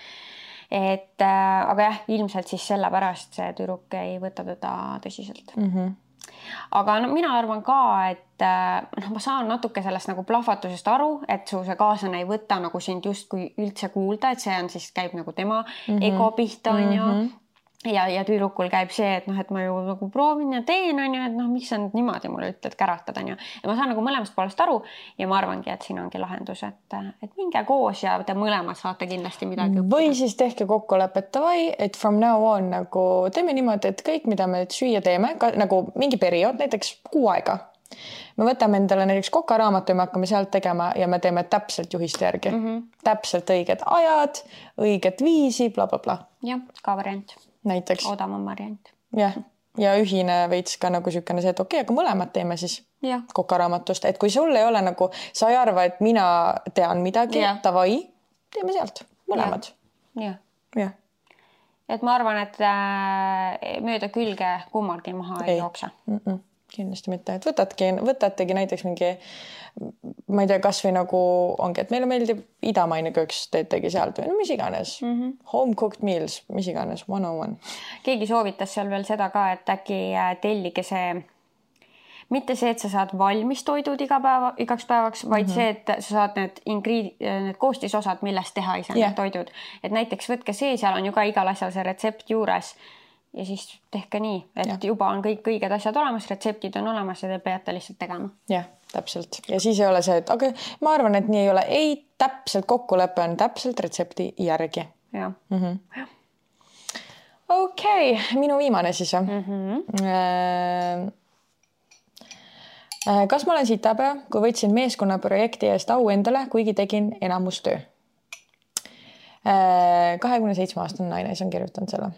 Aga jah, ilmselt siis sellepärast see tüdruk ei võta teda tõsiselt. Aga mina arvan ka, et ma saan natuke sellest nagu plahvatusest aru, et su see kaaslane ei võta nagu sind justkui üldse kuulda, et see on siis käib nagu tema ego pihta on ju. Ja tüdrukul käib see, et et ma ju nagu proovin ja teen on ju, et miks sa nüüd niimoodi mulle ütled käratada on ju. Ja ma saan nagu mõlemast poolest aru ja ma arvangi, et siin ongi lahendus, et minge koos ja te mõlemad saate kindlasti midagi õppida. Või siis tehke kokkulepet, et from now on nagu teeme niimoodi, et kõik, mida me süüa teeme, nagu mingi periood, näiteks 6 aega. Me võtame endale näiteks kokaraamatu ja me hakkame sealt tegema ja me teeme täpselt juhiste järgi. Täpselt õiged ajad, õiget viisi, bla, bla, bla. Ja, ka variant. Näiteks. Odavam variant. Ja ühine veits ka nagu sükene see, et okei, aga mõlemad teeme siis kokaraamatust. Et kui sul ei ole nagu, sa ei arva, et mina tean midagi, tavai, teeme sealt mõlemad. Ja. Et ma arvan, et mööda külge kummalgi maha ei jookse. Kindlasti mitte, et võtategi näiteks mingi, ma ei tea, kas või nagu ongi, et meile meeldib idamaine kööks, teetegi sealt või mis iganes. Home cooked meals, mis iganes, 101. Keegi soovitas seal veel seda ka, et äkki tellige see, mitte see, et sa saad valmis toidud igaks päevaks, vaid see, et sa saad need koostisosad, millest teha ise need toidud. Et näiteks võtke see, seal on ju ka igal asjal see retsept juures. Ja siis tehke nii, et juba on kõik õiged asjad olemas, retseptid on olemas ja te peate lihtsalt tegema. Jah, täpselt. Ja siis ei ole see, et aga ma arvan, et nii ei ole. Ei, täpselt kokkulepe on täpselt retsepti järgi. Ja. Okei, minu viimane siis. Kas ma olen sitapea, kui võtsin meeskonna projekti eest au endale, kuigi tegin enamustöö? 27-aastane naine, see on kirjutanud selle.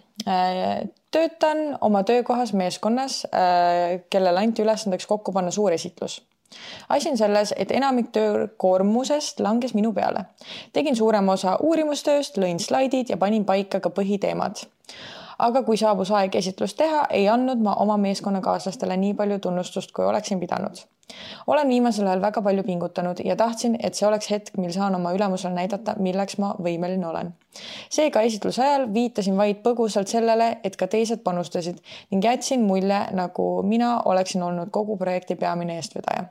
Töötan oma töökohas meeskonnas, kellel anti ülesandeks kokku panna suur esitlus. Asi on selles, et enamik töökoormusest langes minu peale. Tegin suurema osa uurimustööst, lõin slaidid ja panin paika ka põhiteemad. Aga kui saabus aeg esitlust teha, ei andnud ma oma meeskonnakaaslastele nii palju tunnustust, kui oleksin pidanud. Olen viimasel ajal väga palju pingutanud ja tahtsin, et see oleks hetk, mil saan oma ülemusele näidata, milleks ma võimeline olen. Seega esitluse ajal viitasin vaid põgusalt sellele, et ka teised panustasid ning jätsin mulje, nagu mina oleksin olnud kogu projekti peamine eestvedaja.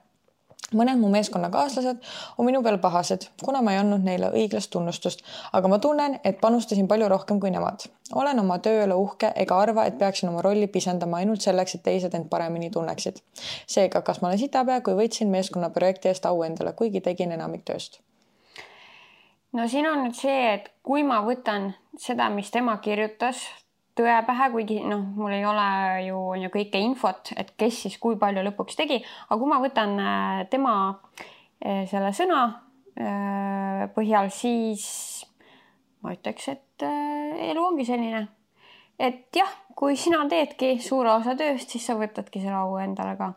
Mõned mu meeskonnakaaslased on minu peal pahased, kuna ma ei andnud neile õiglast tunnustust, aga ma tunnen, et panustasin palju rohkem kui nemad. Olen oma tööle uhke ega arva, et peaksin oma rolli pisendama ainult selleks, et teised end paremini tunneksid. Seega, kas ma olen sitapea, kui võtsin meeskonna projekti eest au endale, kuigi tegin enamik tööst? No siin on nüüd see, et kui ma võtan seda, mis tema kirjutas, tõe pähe, kuigi mul ei ole ju kõike infot, et kes siis kui palju lõpuks tegi, aga kui ma võtan tema selle sõna põhjal, siis ma ütleks, et elu ongi selline, et jah, kui sina teedki suure osa tööst, siis sa võtadki selle au endale ka.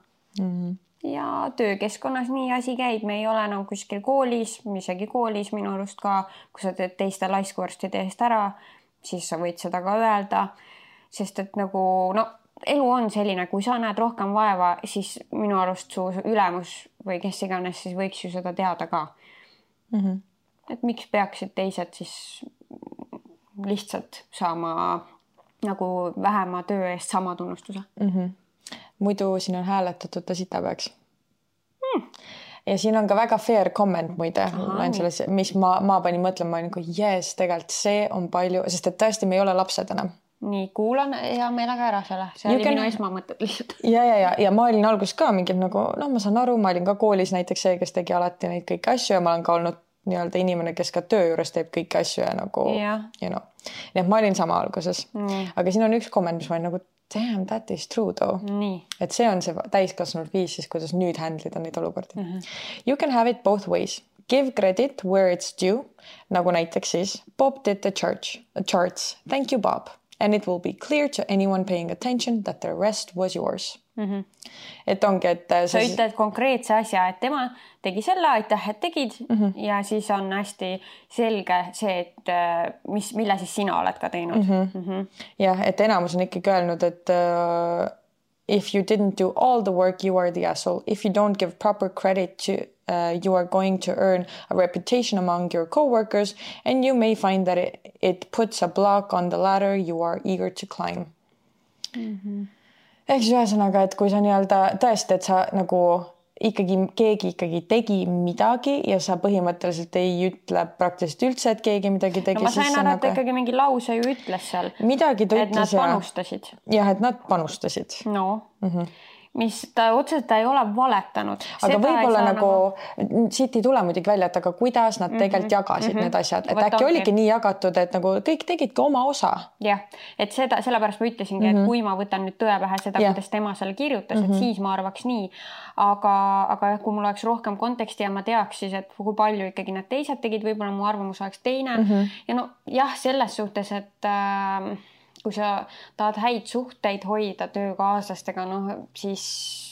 ja töökeskkonnas nii asi käib, me ei ole enam kuskil koolis, isegi koolis minu arust ka, kui sa teed teiste laiskuarstide eest ära, siis sa võid seda ka öelda, sest et nagu elu on selline, kui sa näed rohkem vaeva, siis minu arust su ülemus või kes iganes siis võiks ju seda teada ka. Et miks peaksid teised siis lihtsalt saama nagu vähema töö eest sama tunnustuse? Muidu siin on hääletatud ta sitapeaks. Ja siin on ka väga fair comment muide. Selles, mis ma panin mõtlema, ma olin yes, tegelikult see on palju, sest et tõesti me ei ole lapsed enam. Nii, kuulan hea meelega ära selle. See oli minu esmamõtted lihtsalt. Ja ma olin alguses ka mingi nagu, ma saan aru, ma olin ka koolis näiteks see, kes tegi alati neid kõiki asju ja ma olen ka olnud nii-öelda inimene, kes ka töö juures teeb kõiki asju ja nagu, you know. Nii et ma olin sama alguses. Aga siin on üks komment, mis ma olin nagu, damn, that is true though. Nii. Et see on see täiskasvanud viis siis, kuidas nüüd handlida neid olukordi. You can have it both ways. Give credit where it's due. Nagu näiteks siis, Bob did the charts. Thank you, Bob. And it will be clear to anyone paying attention that the rest was yours. Et ongi, et sa ütled konkreetse asja, et tema tegi selle, aitäh, et tegid ja siis on hästi selge see, et mille siis sina oled ka teinud. Jah, et enamus on ikkagi öelnud, et if you didn't do all the work, you are the asshole. If you don't give proper credit to you are going to earn a reputation among your coworkers and you may find that it puts a block on the ladder you are eager to climb. Ehk siis ühesõnaga, et kui sa nii-öelda tõesti, et sa nagu keegi tegi midagi ja sa põhimõtteliselt ei ütle praktiliselt üldse, et keegi midagi tegi. No ma sain ära, et ikkagi mingi lause ju ütles seal. Midagi ta ütles. Et nad panustasid. Jah, et nad panustasid. No. Mis ta otseselt ei ole valetanud. Aga võib-olla nagu siit ei tule muidugi välja, et aga kuidas nad tegelikult jagasid need asjad. Et äkki oligi nii jagatud, et nagu kõik tegid ka oma osa. Jah, et sellepärast ma ütlesingi, et kui ma võtan nüüd tõe pähe seda, kuidas tema selle kirjutas, et siis ma arvaks nii. Aga kui mul oleks rohkem konteksti ja ma teaks siis, et kui palju ikkagi need teised tegid, võib-olla mu arvamus oleks teine. Ja jah, selles suhtes, et kui sa tahad häid suhteid hoida töökaaslastega, siis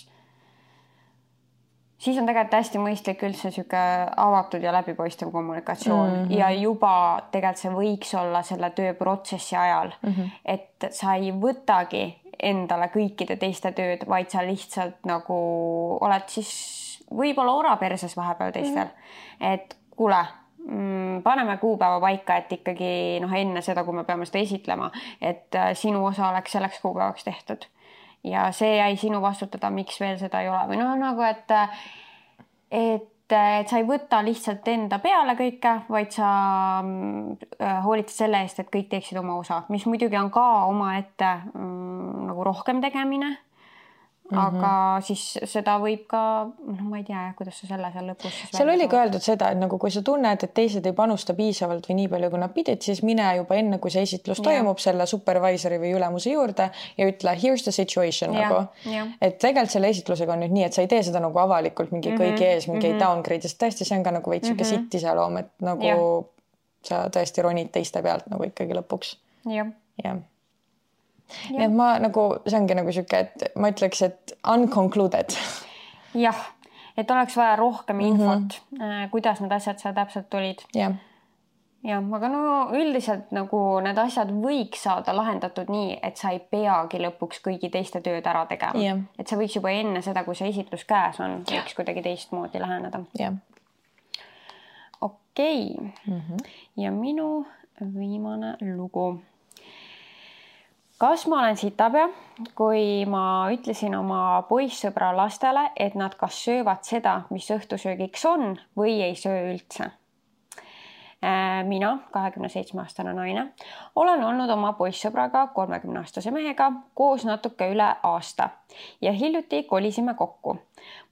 on tegelikult hästi mõistlik üldse siuke avatud ja läbipaistev kommunikatsioon ja juba tegelikult see võiks olla selle tööprotsessi ajal, et sa ei võtagi endale kõikide teiste tööd, vaid sa lihtsalt nagu oled siis võib-olla oraperses vahepeal teistel, et kuule, paneme kuupäeva paika, et ikkagi enne seda, kui me peame seda esitlema, et sinu osa oleks selleks kuupäevaks tehtud. Ja see jäi sinu vastutada, miks veel seda ei ole. Või nagu, et sa ei võta lihtsalt enda peale kõike, vaid sa hoolitad selle eest, et kõik teeksid oma osa, mis muidugi on ka omaette nagu rohkem tegemine. Aga siis seda võib ka, ma ei tea, kuidas sa selle seal lõpus siis seal oli ka öeldud seda, et nagu kui sa tunned, et teised ei panusta piisavalt või nii palju, kui nad pidid, siis mine juba enne, kui see esitlus toimub selle supervisori või ülemuse juurde ja ütle, here's the situation nagu. Et tegelikult selle esitlusega on nüüd nii, et sa ei tee seda nagu avalikult mingi kõigi ees, mingi downgrade, sest tõesti see on ka nagu veits siuke sitt iseloom, et nagu sa tõesti ronid teiste pealt nagu ikkagi lõpuks. Jah. Nii et ma nagu, see ongi nagu siuke, et ma ütleks, et unconcluded. Jah, et oleks vaja rohkem infot, kuidas need asjad seal täpselt tulid. Jah, aga üldiselt nagu need asjad võiks saada lahendatud nii, et sa ei peagi lõpuks kõigi teiste tööd ära tegema. Et see võiks juba enne seda, kui see esitlus käes on, võiks kuidagi teistmoodi läheneda. Okei. Ja minu viimane lugu. Kas ma olen sitapea, kui ma ütlesin oma poissõbra lastele, et nad kas söövad seda, mis õhtusöögiks on või ei söö üldse? Mina, 27-aastane naine, olen olnud oma poissõbraga 30-aastase mehega koos natuke üle aasta ja hiljuti kolisime kokku.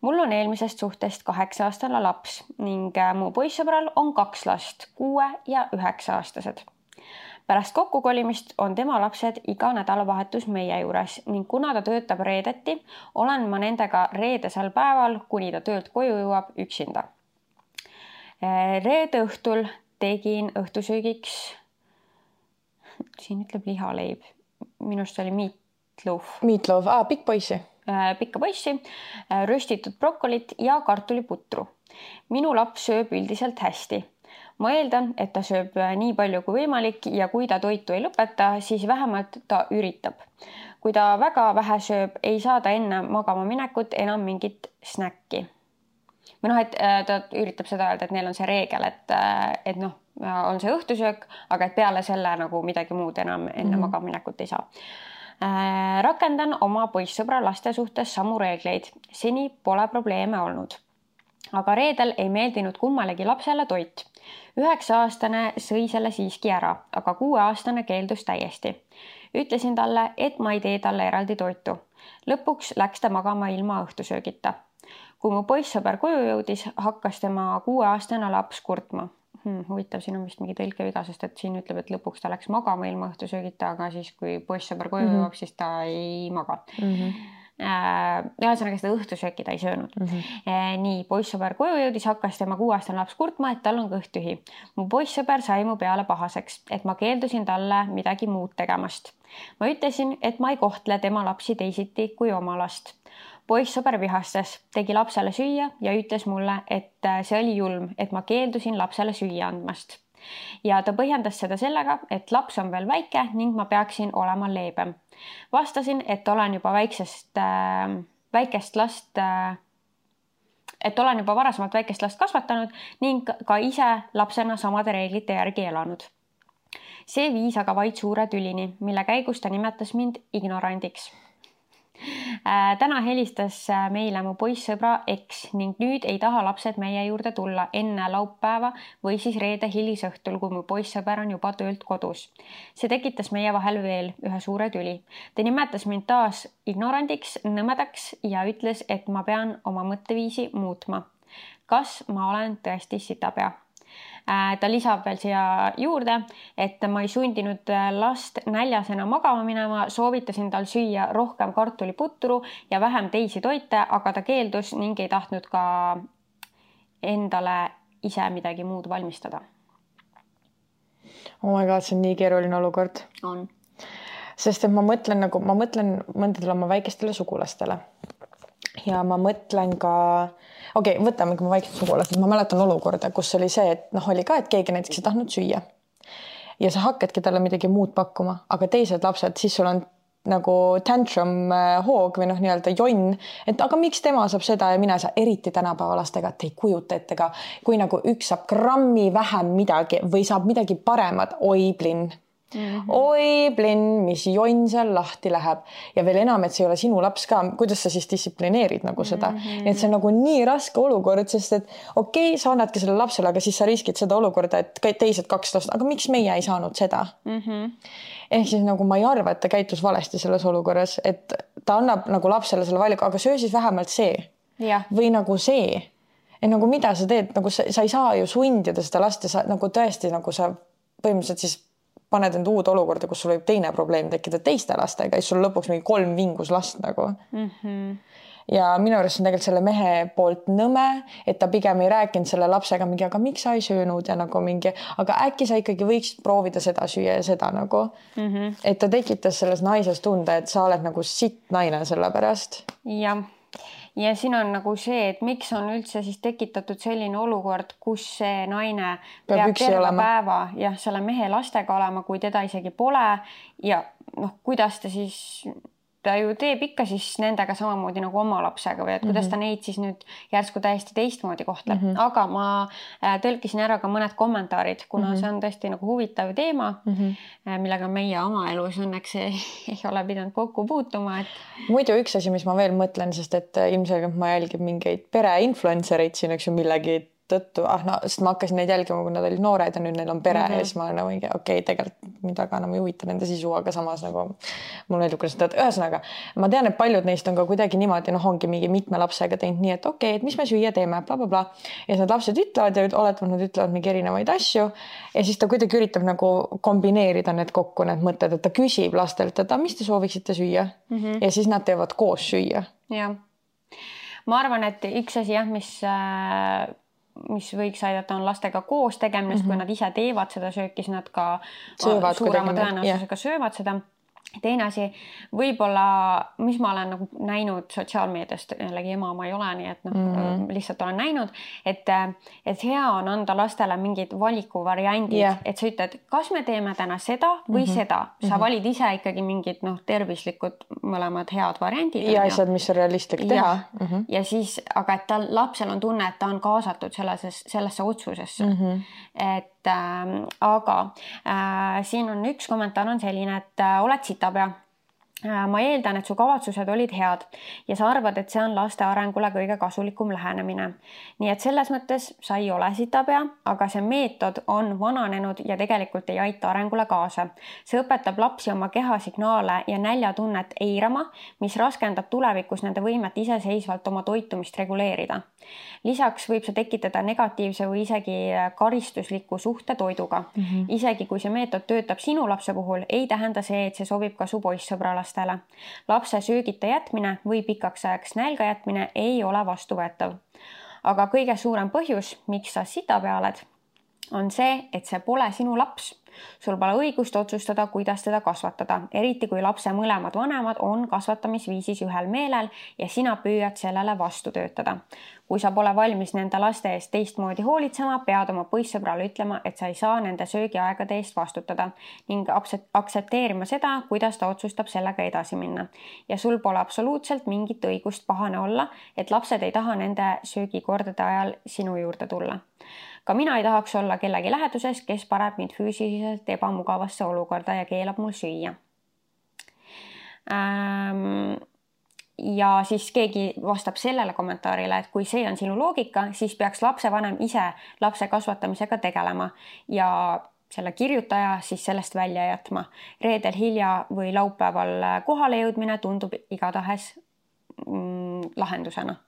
Mul on eelmisest suhtest 8-aastane laps ning mu poissõbral on 2 last, 6 ja 9-aastased. Pärast kokkukolimist on tema lapsed iga nädalavahetus meie juures ning kuna ta töötab reedeti, olen ma nendega reedesel päeval, kuni ta töölt koju jõuab üksinda. Reede õhtul tegin õhtusöögiks, siin ütleb lihaleib, minust oli meatloaf. Meatloaf, pikk poisi. pikka poissi, röstitud brokolit ja kartuliputru. Minu laps sööb üldiselt hästi. Ma eeldan, et ta sööb nii palju kui võimalik ja kui ta toitu ei lõpeta, siis vähemalt ta üritab. Kui ta väga vähe sööb, ei saa ta enne magama minekut enam mingit snäkki. Või noh, et ta üritab seda öelda, et neil on see reegel, et noh, on see õhtusöök, aga et peale selle nagu midagi muud enam enne magama minekut ei saa. Rakendan oma poissõbra laste suhtes samu reegleid. Seni pole probleeme olnud. Aga reedel ei meeldinud kummalegi lapsele toit. 9-aastane sõi selle siiski ära, aga 6-aastane keeldus täiesti. Ütlesin talle, et ma ei tee talle eraldi toitu. Lõpuks läks ta magama ilma õhtusöögita. Kui mu poissõber koju jõudis, hakkas tema 6-aastane laps kurtma. Huvitav, siin on vist mingi tõlkeviga, sest et siin ütleb, et lõpuks ta läks magama ilma õhtusöögita, aga siis kui poissõber koju jõuab, siis ta ei maga. Ühesõnaga seda õhtusööki ta ei söönud. Nii, poissõber koju jõudis, hakkas tema 6-aastane laps kurtma, et tal on kõht tühi. Mu poissõber sai mu peale pahaseks, et ma keeldusin talle midagi muud tegemast. Ma ütlesin, et ma ei kohtle tema lapsi teisiti kui oma last. Poissõber vihastas, tegi lapsele süüa ja ütles mulle, et see oli julm, et ma keeldusin lapsele süüa andmast. Ja ta põhjendas seda sellega, et laps on veel väike ning ma peaksin olema leebem. Vastasin, et olen juba varasemalt väikest last kasvatanud ning ka ise lapsena samade reeglite järgi elanud. See viis aga vaid suure tülini, mille käigus ta nimetas mind ignorandiks. Täna helistas meile mu poissõbra eks ning nüüd ei taha lapsed meie juurde tulla enne laupäeva või siis reede hilisõhtul, kui mu poissõber on juba töölt kodus. See tekitas meie vahel veel ühe suure tüli. Ta nimetas mind taas ignorandiks, nõmedaks ja ütles, et ma pean oma mõtteviisi muutma. Kas ma olen tõesti sitapea? Ta lisab veel siia juurde, et ma ei sundinud last näljasena magama minema, soovitasin tal süüa rohkem kartuliputru ja vähem teisi toite, aga ta keeldus ning ei tahtnud ka endale ise midagi muud valmistada. Oh my god, see on nii keeruline olukord. On. Sest et ma mõtlen mõndadele oma väikestele sugulastele. Ja ma mõtlen ka, võtamegi mu väikesed sugulased. Ma mäletan olukorda, kus oli see, et oli ka, et keegi näiteks ei tahtnud süüa. Ja sa hakkadki talle midagi muud pakkuma, aga teised lapsed, siis sul on nagu tantrum hoog või nii-öelda jonn, et aga miks tema saab seda ja mina ei saa, eriti tänapäeva lastega, et ei kujuta ette ka, kui nagu üks saab grammi vähem midagi või saab midagi paremat, oi plinn. Oi plinn, mis jonn seal lahti läheb ja veel enam, et see ei ole sinu laps ka, kuidas sa siis distsiplineerid nagu seda, et see on nagu nii raske olukord, sest et sa annadki selle lapsele, aga siis sa riskid seda olukorda, et teised 2 last, aga miks meie ei saanud seda? Ehk siis nagu ma ei arva, et ta käitus valesti selles olukorras, et ta annab nagu lapsele selle valiku, aga söö siis vähemalt see või nagu see, et nagu mida sa teed, nagu sa ei saa ju sundida seda last ja sa nagu tõesti nagu sa põhimõtteliselt siis paned enda uud olukorda, kus sul võib teine probleem tekkida teiste lastega ja siis sul lõpuks mingi 3 vingus last nagu. Ja minu arust on tegelikult selle mehe poolt nõme, et ta pigem ei rääkinud selle lapsega mingi, aga miks sa ei söönud ja nagu mingi, aga äkki sa ikkagi võiksid proovida seda süüa ja seda nagu. Et ta tekitas selles naises tunde, et sa oled nagu sitt naine selle pärast. Ja siin on nagu see, et miks on üldse siis tekitatud selline olukord, kus see naine peab terve päeva selle mehe lastega olema, kui teda isegi pole ja kuidas ta siis, ta ju teeb ikka siis nendega samamoodi nagu oma lapsega või et kuidas ta neid siis nüüd järsku täiesti teistmoodi kohtleb. Aga ma tõlkisin ära ka mõned kommentaarid, kuna see on tõesti nagu huvitav teema, millega meie oma elus õnneks ei ole pidanud kokku puutuma. Muidu üks asi, mis ma veel mõtlen, sest et ilmselgelt ma jälgin mingeid pere-influencereid siin, eks ju, millegi tõttu, sest ma hakkasin neid jälgima, kui nad olid noored ja nüüd neil on pere ja siis ma olen nagu tegelikult midagi enam ei huvita nende sisu, aga samas nagu mul meeldib, kuidas seda, ühesõnaga ma tean, et paljud neist on ka kuidagi niimoodi, ongi mingi mitme lapsega teinud nii, et et mis me süüa teeme, blablabla. Ja need lapsed ütlevad ja nad ütlevad mingi erinevaid asju ja siis ta kuidagi üritab nagu kombineerida need kokku, need mõtted, et ta küsib lastelt, et mis te sooviksite süüa ja siis nad teevad koos süüa. Ja. Ma arvan, et üks asi mis võiks aidata on lastega koos tegemine, kui nad ise teevad seda sööki, siis nad ka suurema tõenäosusega söövad seda. teine asi, võib-olla, mis ma olen nagu näinud sotsiaalmeediast, jällegi ema ma ei ole, nii et lihtsalt olen näinud, et hea on anda lastele mingid valikuvariandid, et sa ütled, kas me teeme täna seda või seda. Sa valid ise ikkagi mingid tõrvislikud mõlemad head variandid. Ja asjad, mis on realistlik teha. Ja siis, aga et lapsel on tunne, et ta on kaasatud sellesse otsusesse. Aga siin on üks kommentaar on selline, et oled sitapea. Ma eeldan, et su kavatsused olid head ja sa arvad, et see on laste arengule kõige kasulikum lähenemine. Nii et selles mõttes sa ei ole sitapea, aga see meetod on vananenud ja tegelikult ei aita arengule kaasa. See õpetab lapsi oma keha signaale ja näljatunnet eirama, mis raskendab tulevikus nende võimet iseseisvalt oma toitumist reguleerida. Lisaks võib see tekitada negatiivse või isegi karistusliku suhte toiduga. Isegi kui see meetod töötab sinu lapse puhul, ei tähenda see, et see sobib ka su poissõbralastele. Lapse söögita jätmine või pikaks ajaks nälga jätmine ei ole vastuvõetav. Aga kõige suurem põhjus, miks sa sitapea oled, on see, et see pole sinu laps. Sul pole õigust otsustada, kuidas teda kasvatada, eriti kui lapse mõlemad vanemad on kasvatamisviisis ühel meelel ja sina püüad sellele vastu töötada. Kui sa pole valmis nende laste eest teistmoodi hoolitsema, pead oma poissõbrale ütlema, et sa ei saa nende söögiaegade eest vastutada ning aktsepteerima seda, kuidas ta otsustab sellega edasi minna. Ja sul pole absoluutselt mingit õigust pahane olla, et lapsed ei taha nende söögikordade ajal sinu juurde tulla. Ka mina ei tahaks olla kellegi läheduses, kes paneb mind füüsiliselt ebamugavasse olukorda ja keelab mul süüa. Ja siis keegi vastab sellele kommentaarile, et kui see on sinu loogika, siis peaks lapsevanem ise lapse kasvatamisega tegelema ja selle kirjutaja siis sellest välja jätma. Reedel hilja või laupäeval kohale jõudmine tundub igatahes lahendusena.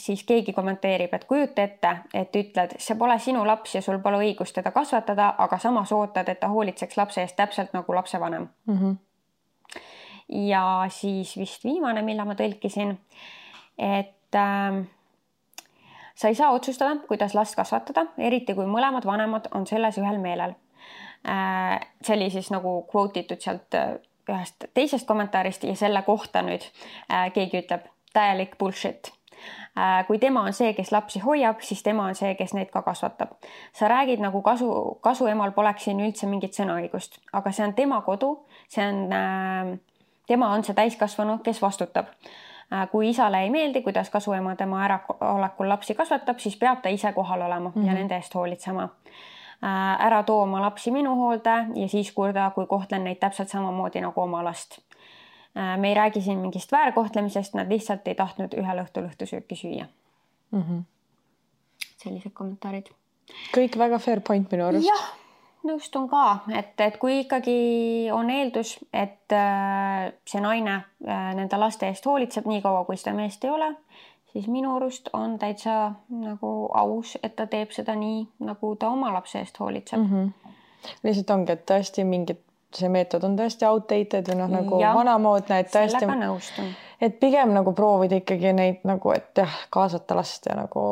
Siis keegi kommenteerib, et kujuta ette, et ütled, see pole sinu laps ja sul pole õigust teda kasvatada, aga samas ootad, et ta hoolitseks lapse eest täpselt nagu lapsevanem. Ja siis vist viimane, mille ma tõlkisin, et sa ei saa otsustada, kuidas last kasvatada, eriti kui mõlemad vanemad on selles ühel meelel. See oli siis nagu quote'itud sealt ühest teisest kommentaarist ja selle kohta nüüd keegi ütleb täielik bullshit. Kui tema on see, kes lapsi hoiab, siis tema on see, kes neid ka kasvatab. Sa räägid nagu kasuemal poleks siin üldse mingit sõnaõigust, aga see on tema kodu, tema on see täiskasvanu, kes vastutab. Kui isale ei meeldi, kuidas kasuema tema äraolekul lapsi kasvatab, siis peab ta ise kohal olema ja nende eest hoolitsema. Ära too oma lapsi minu hoolde ja siis kurda, kui kohtlen neid täpselt samamoodi nagu oma last. Me ei räägi siin mingist väärkohtlemisest, nad lihtsalt ei tahtnud ühel õhtusööki süüa. Sellised kommentaarid. Kõik väga fair point minu arust. Jah, nõustun ka, et kui ikkagi on eeldus, et see naine nende laste eest hoolitseb nii kaua, kui seda meest ei ole, siis minu arust on täitsa nagu aus, et ta teeb seda nii, nagu ta oma lapse eest hoolitseb. Lihtsalt ongi, et tõesti mingid see meetod on tõesti outdated või nagu vanamoodne, et tõesti, et pigem nagu proovida ikkagi neid nagu, et kaasata last ja nagu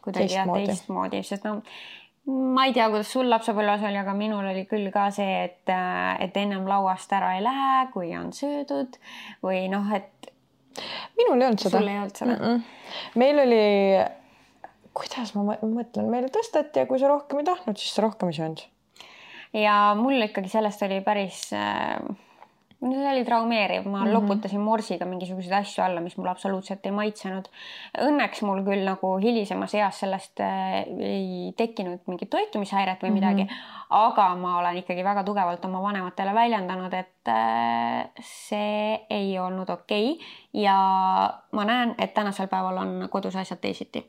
teistmoodi, sest ma ei tea, kuidas sul lapsepõlves oli, aga minul oli küll ka see, et ennem lauast ära ei lähe, kui on söödud või et minul ei olnud seda. Sul ei olnud seda? Meil oli, kuidas ma mõtlen, meile tõstati ja kui sa rohkem ei tahtnud, siis sa rohkem ei söönud. Ja mul ikkagi sellest oli päris, see oli traumeeriv, ma loputasin morsiga mingisuguseid asju alla, mis mul absoluutselt ei maitsenud. Õnneks mul küll nagu hilisemas eas sellest ei tekkinud mingit toitumishäiret või midagi, aga ma olen ikkagi väga tugevalt oma vanematele väljendanud, et see ei olnud okei. Ja ma näen, et tänasel päeval on kodus asjad teisiti.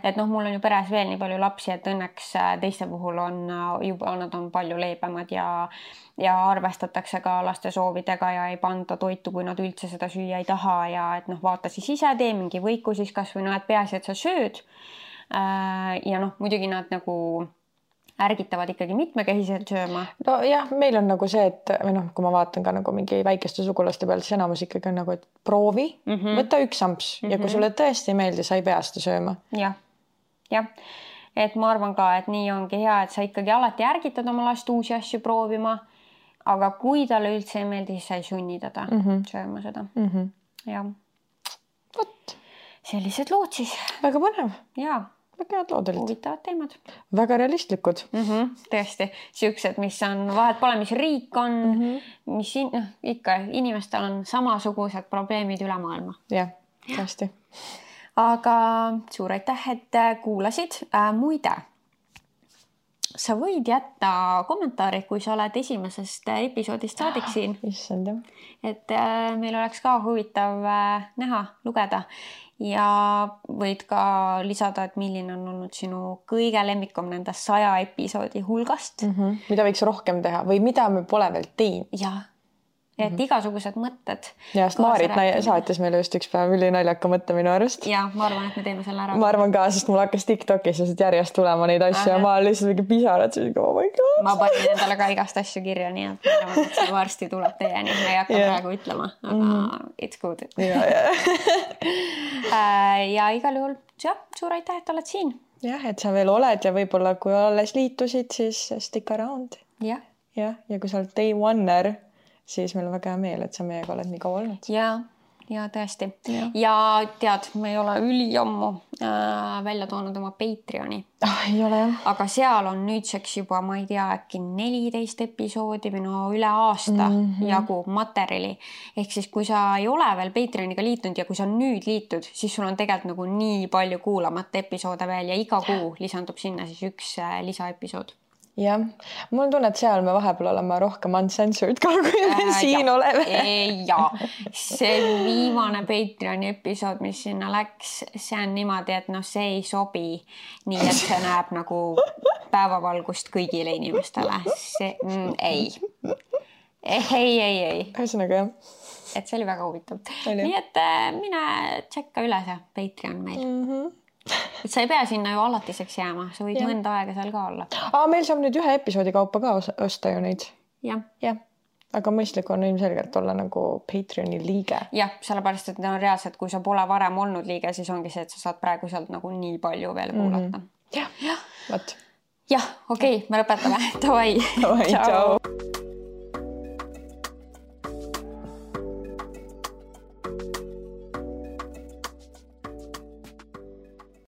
Et mul on ju peres veel nii palju lapsi, et õnneks teiste puhul on juba, nad on palju leebemad ja arvestatakse ka laste soovidega ja ei panda toitu, kui nad üldse seda süüa ei taha ja et vaata siis ise tee mingi võiku siis kas või et peaasi, et sa sööd. Ja muidugi nad nagu ärgitavad ikkagi mitmekehiselt sööma. No jah, meil on nagu see, et kui ma vaatan ka nagu mingi väikeste sugulaste peal, siis enamus ikkagi on nagu, et proovi, võta üks amps ja kui sulle tõesti ei meeldi, sa ei pea seda sööma. Jah. et ma arvan ka, et nii ongi hea, et sa ikkagi alati ärgitad oma last uusi asju proovima, aga kui talle üldse ei meeldi, siis sa ei sunni teda sööma seda. Ja. Võt. Sellised lood siis. Väga põnev. Jaa. Väga head lood olid. Huvitavad teemad. Väga realistlikud. Tõesti. Siuksed, mis on, vahet pole, mis riik on, mis ikka inimestel on samasugused probleemid üle maailma. Jah, tõesti. Aga suur aitäh, et kuulasid. Muide, sa võid jätta kommentaari, kui sa oled esimesest episoodist saadik siin. Issand, jah. Et meil oleks ka huvitav näha, lugeda ja võid ka lisada, et milline on olnud sinu kõige lemmikum nendest 100 episoodi hulgast. Mida võiks rohkem teha või mida me pole veel teinud. Jah. Et igasugused mõtted. Ja Maarit saatis meile just üks päev ülinaljaka mõtte minu arust. Ja ma arvan, et me teeme selle ära. Ma arvan ka, sest mul hakkas TikTokis järjest tulema neid asju ja ma lihtsalt mingi pisarad. Oh my God. Ma panin endale ka igast asju kirja, nii et ma arvan, et see varsti tuleb teieni. Ma ei hakka praegu ütlema, aga it's good. Ja igal juhul, suur aitäh, et oled siin. Jah, et sa veel oled ja võib-olla kui alles liitusid, siis stick around. Ja kui sa oled day one'er, siis meil on väga hea meel, et sa meiega oled nii kaua olnud. Ja tõesti. Ja tead, me ei ole üliammu välja toonud oma Patreoni. Ei ole jah. Aga seal on nüüdseks juba, ma ei tea, äkki 14 episoodi või üle aasta jagu materjali. Ehk siis, kui sa ei ole veel Patreoniga liitunud ja kui sa nüüd liitud, siis sul on tegelikult nagu nii palju kuulamata episoode veel ja iga kuu lisandub sinna siis üks lisaepisood. Jah, mul on tunne, et seal me vahepeal oleme rohkem uncensored ka, kui me siin oleme. Ja, see viimane Patreoni episood, mis sinna läks, see on niimoodi, et see ei sobi nii, et see näeb nagu päevavalgust kõigile inimestele. See, ei. Ühesõnaga jah. Et see oli väga huvitav. Nii, et mine tšekka üle see Patreon meil. Et sa ei pea sinna ju alatiseks jääma, sa võid mõnda aega seal ka olla. Meil saab nüüd ühe episoodi kaupa ka osta ju neid. Jah. Aga mõistlik on ilmselgelt olla nagu Patreoni liige. Jah, sellepärast, et reaalselt, kui sa pole varem olnud liige, siis ongi see, et sa saad praegu sealt nagu nii palju veel kuulata. Jah, võt. Jah, okei, me lõpetame. Davai. Tšau.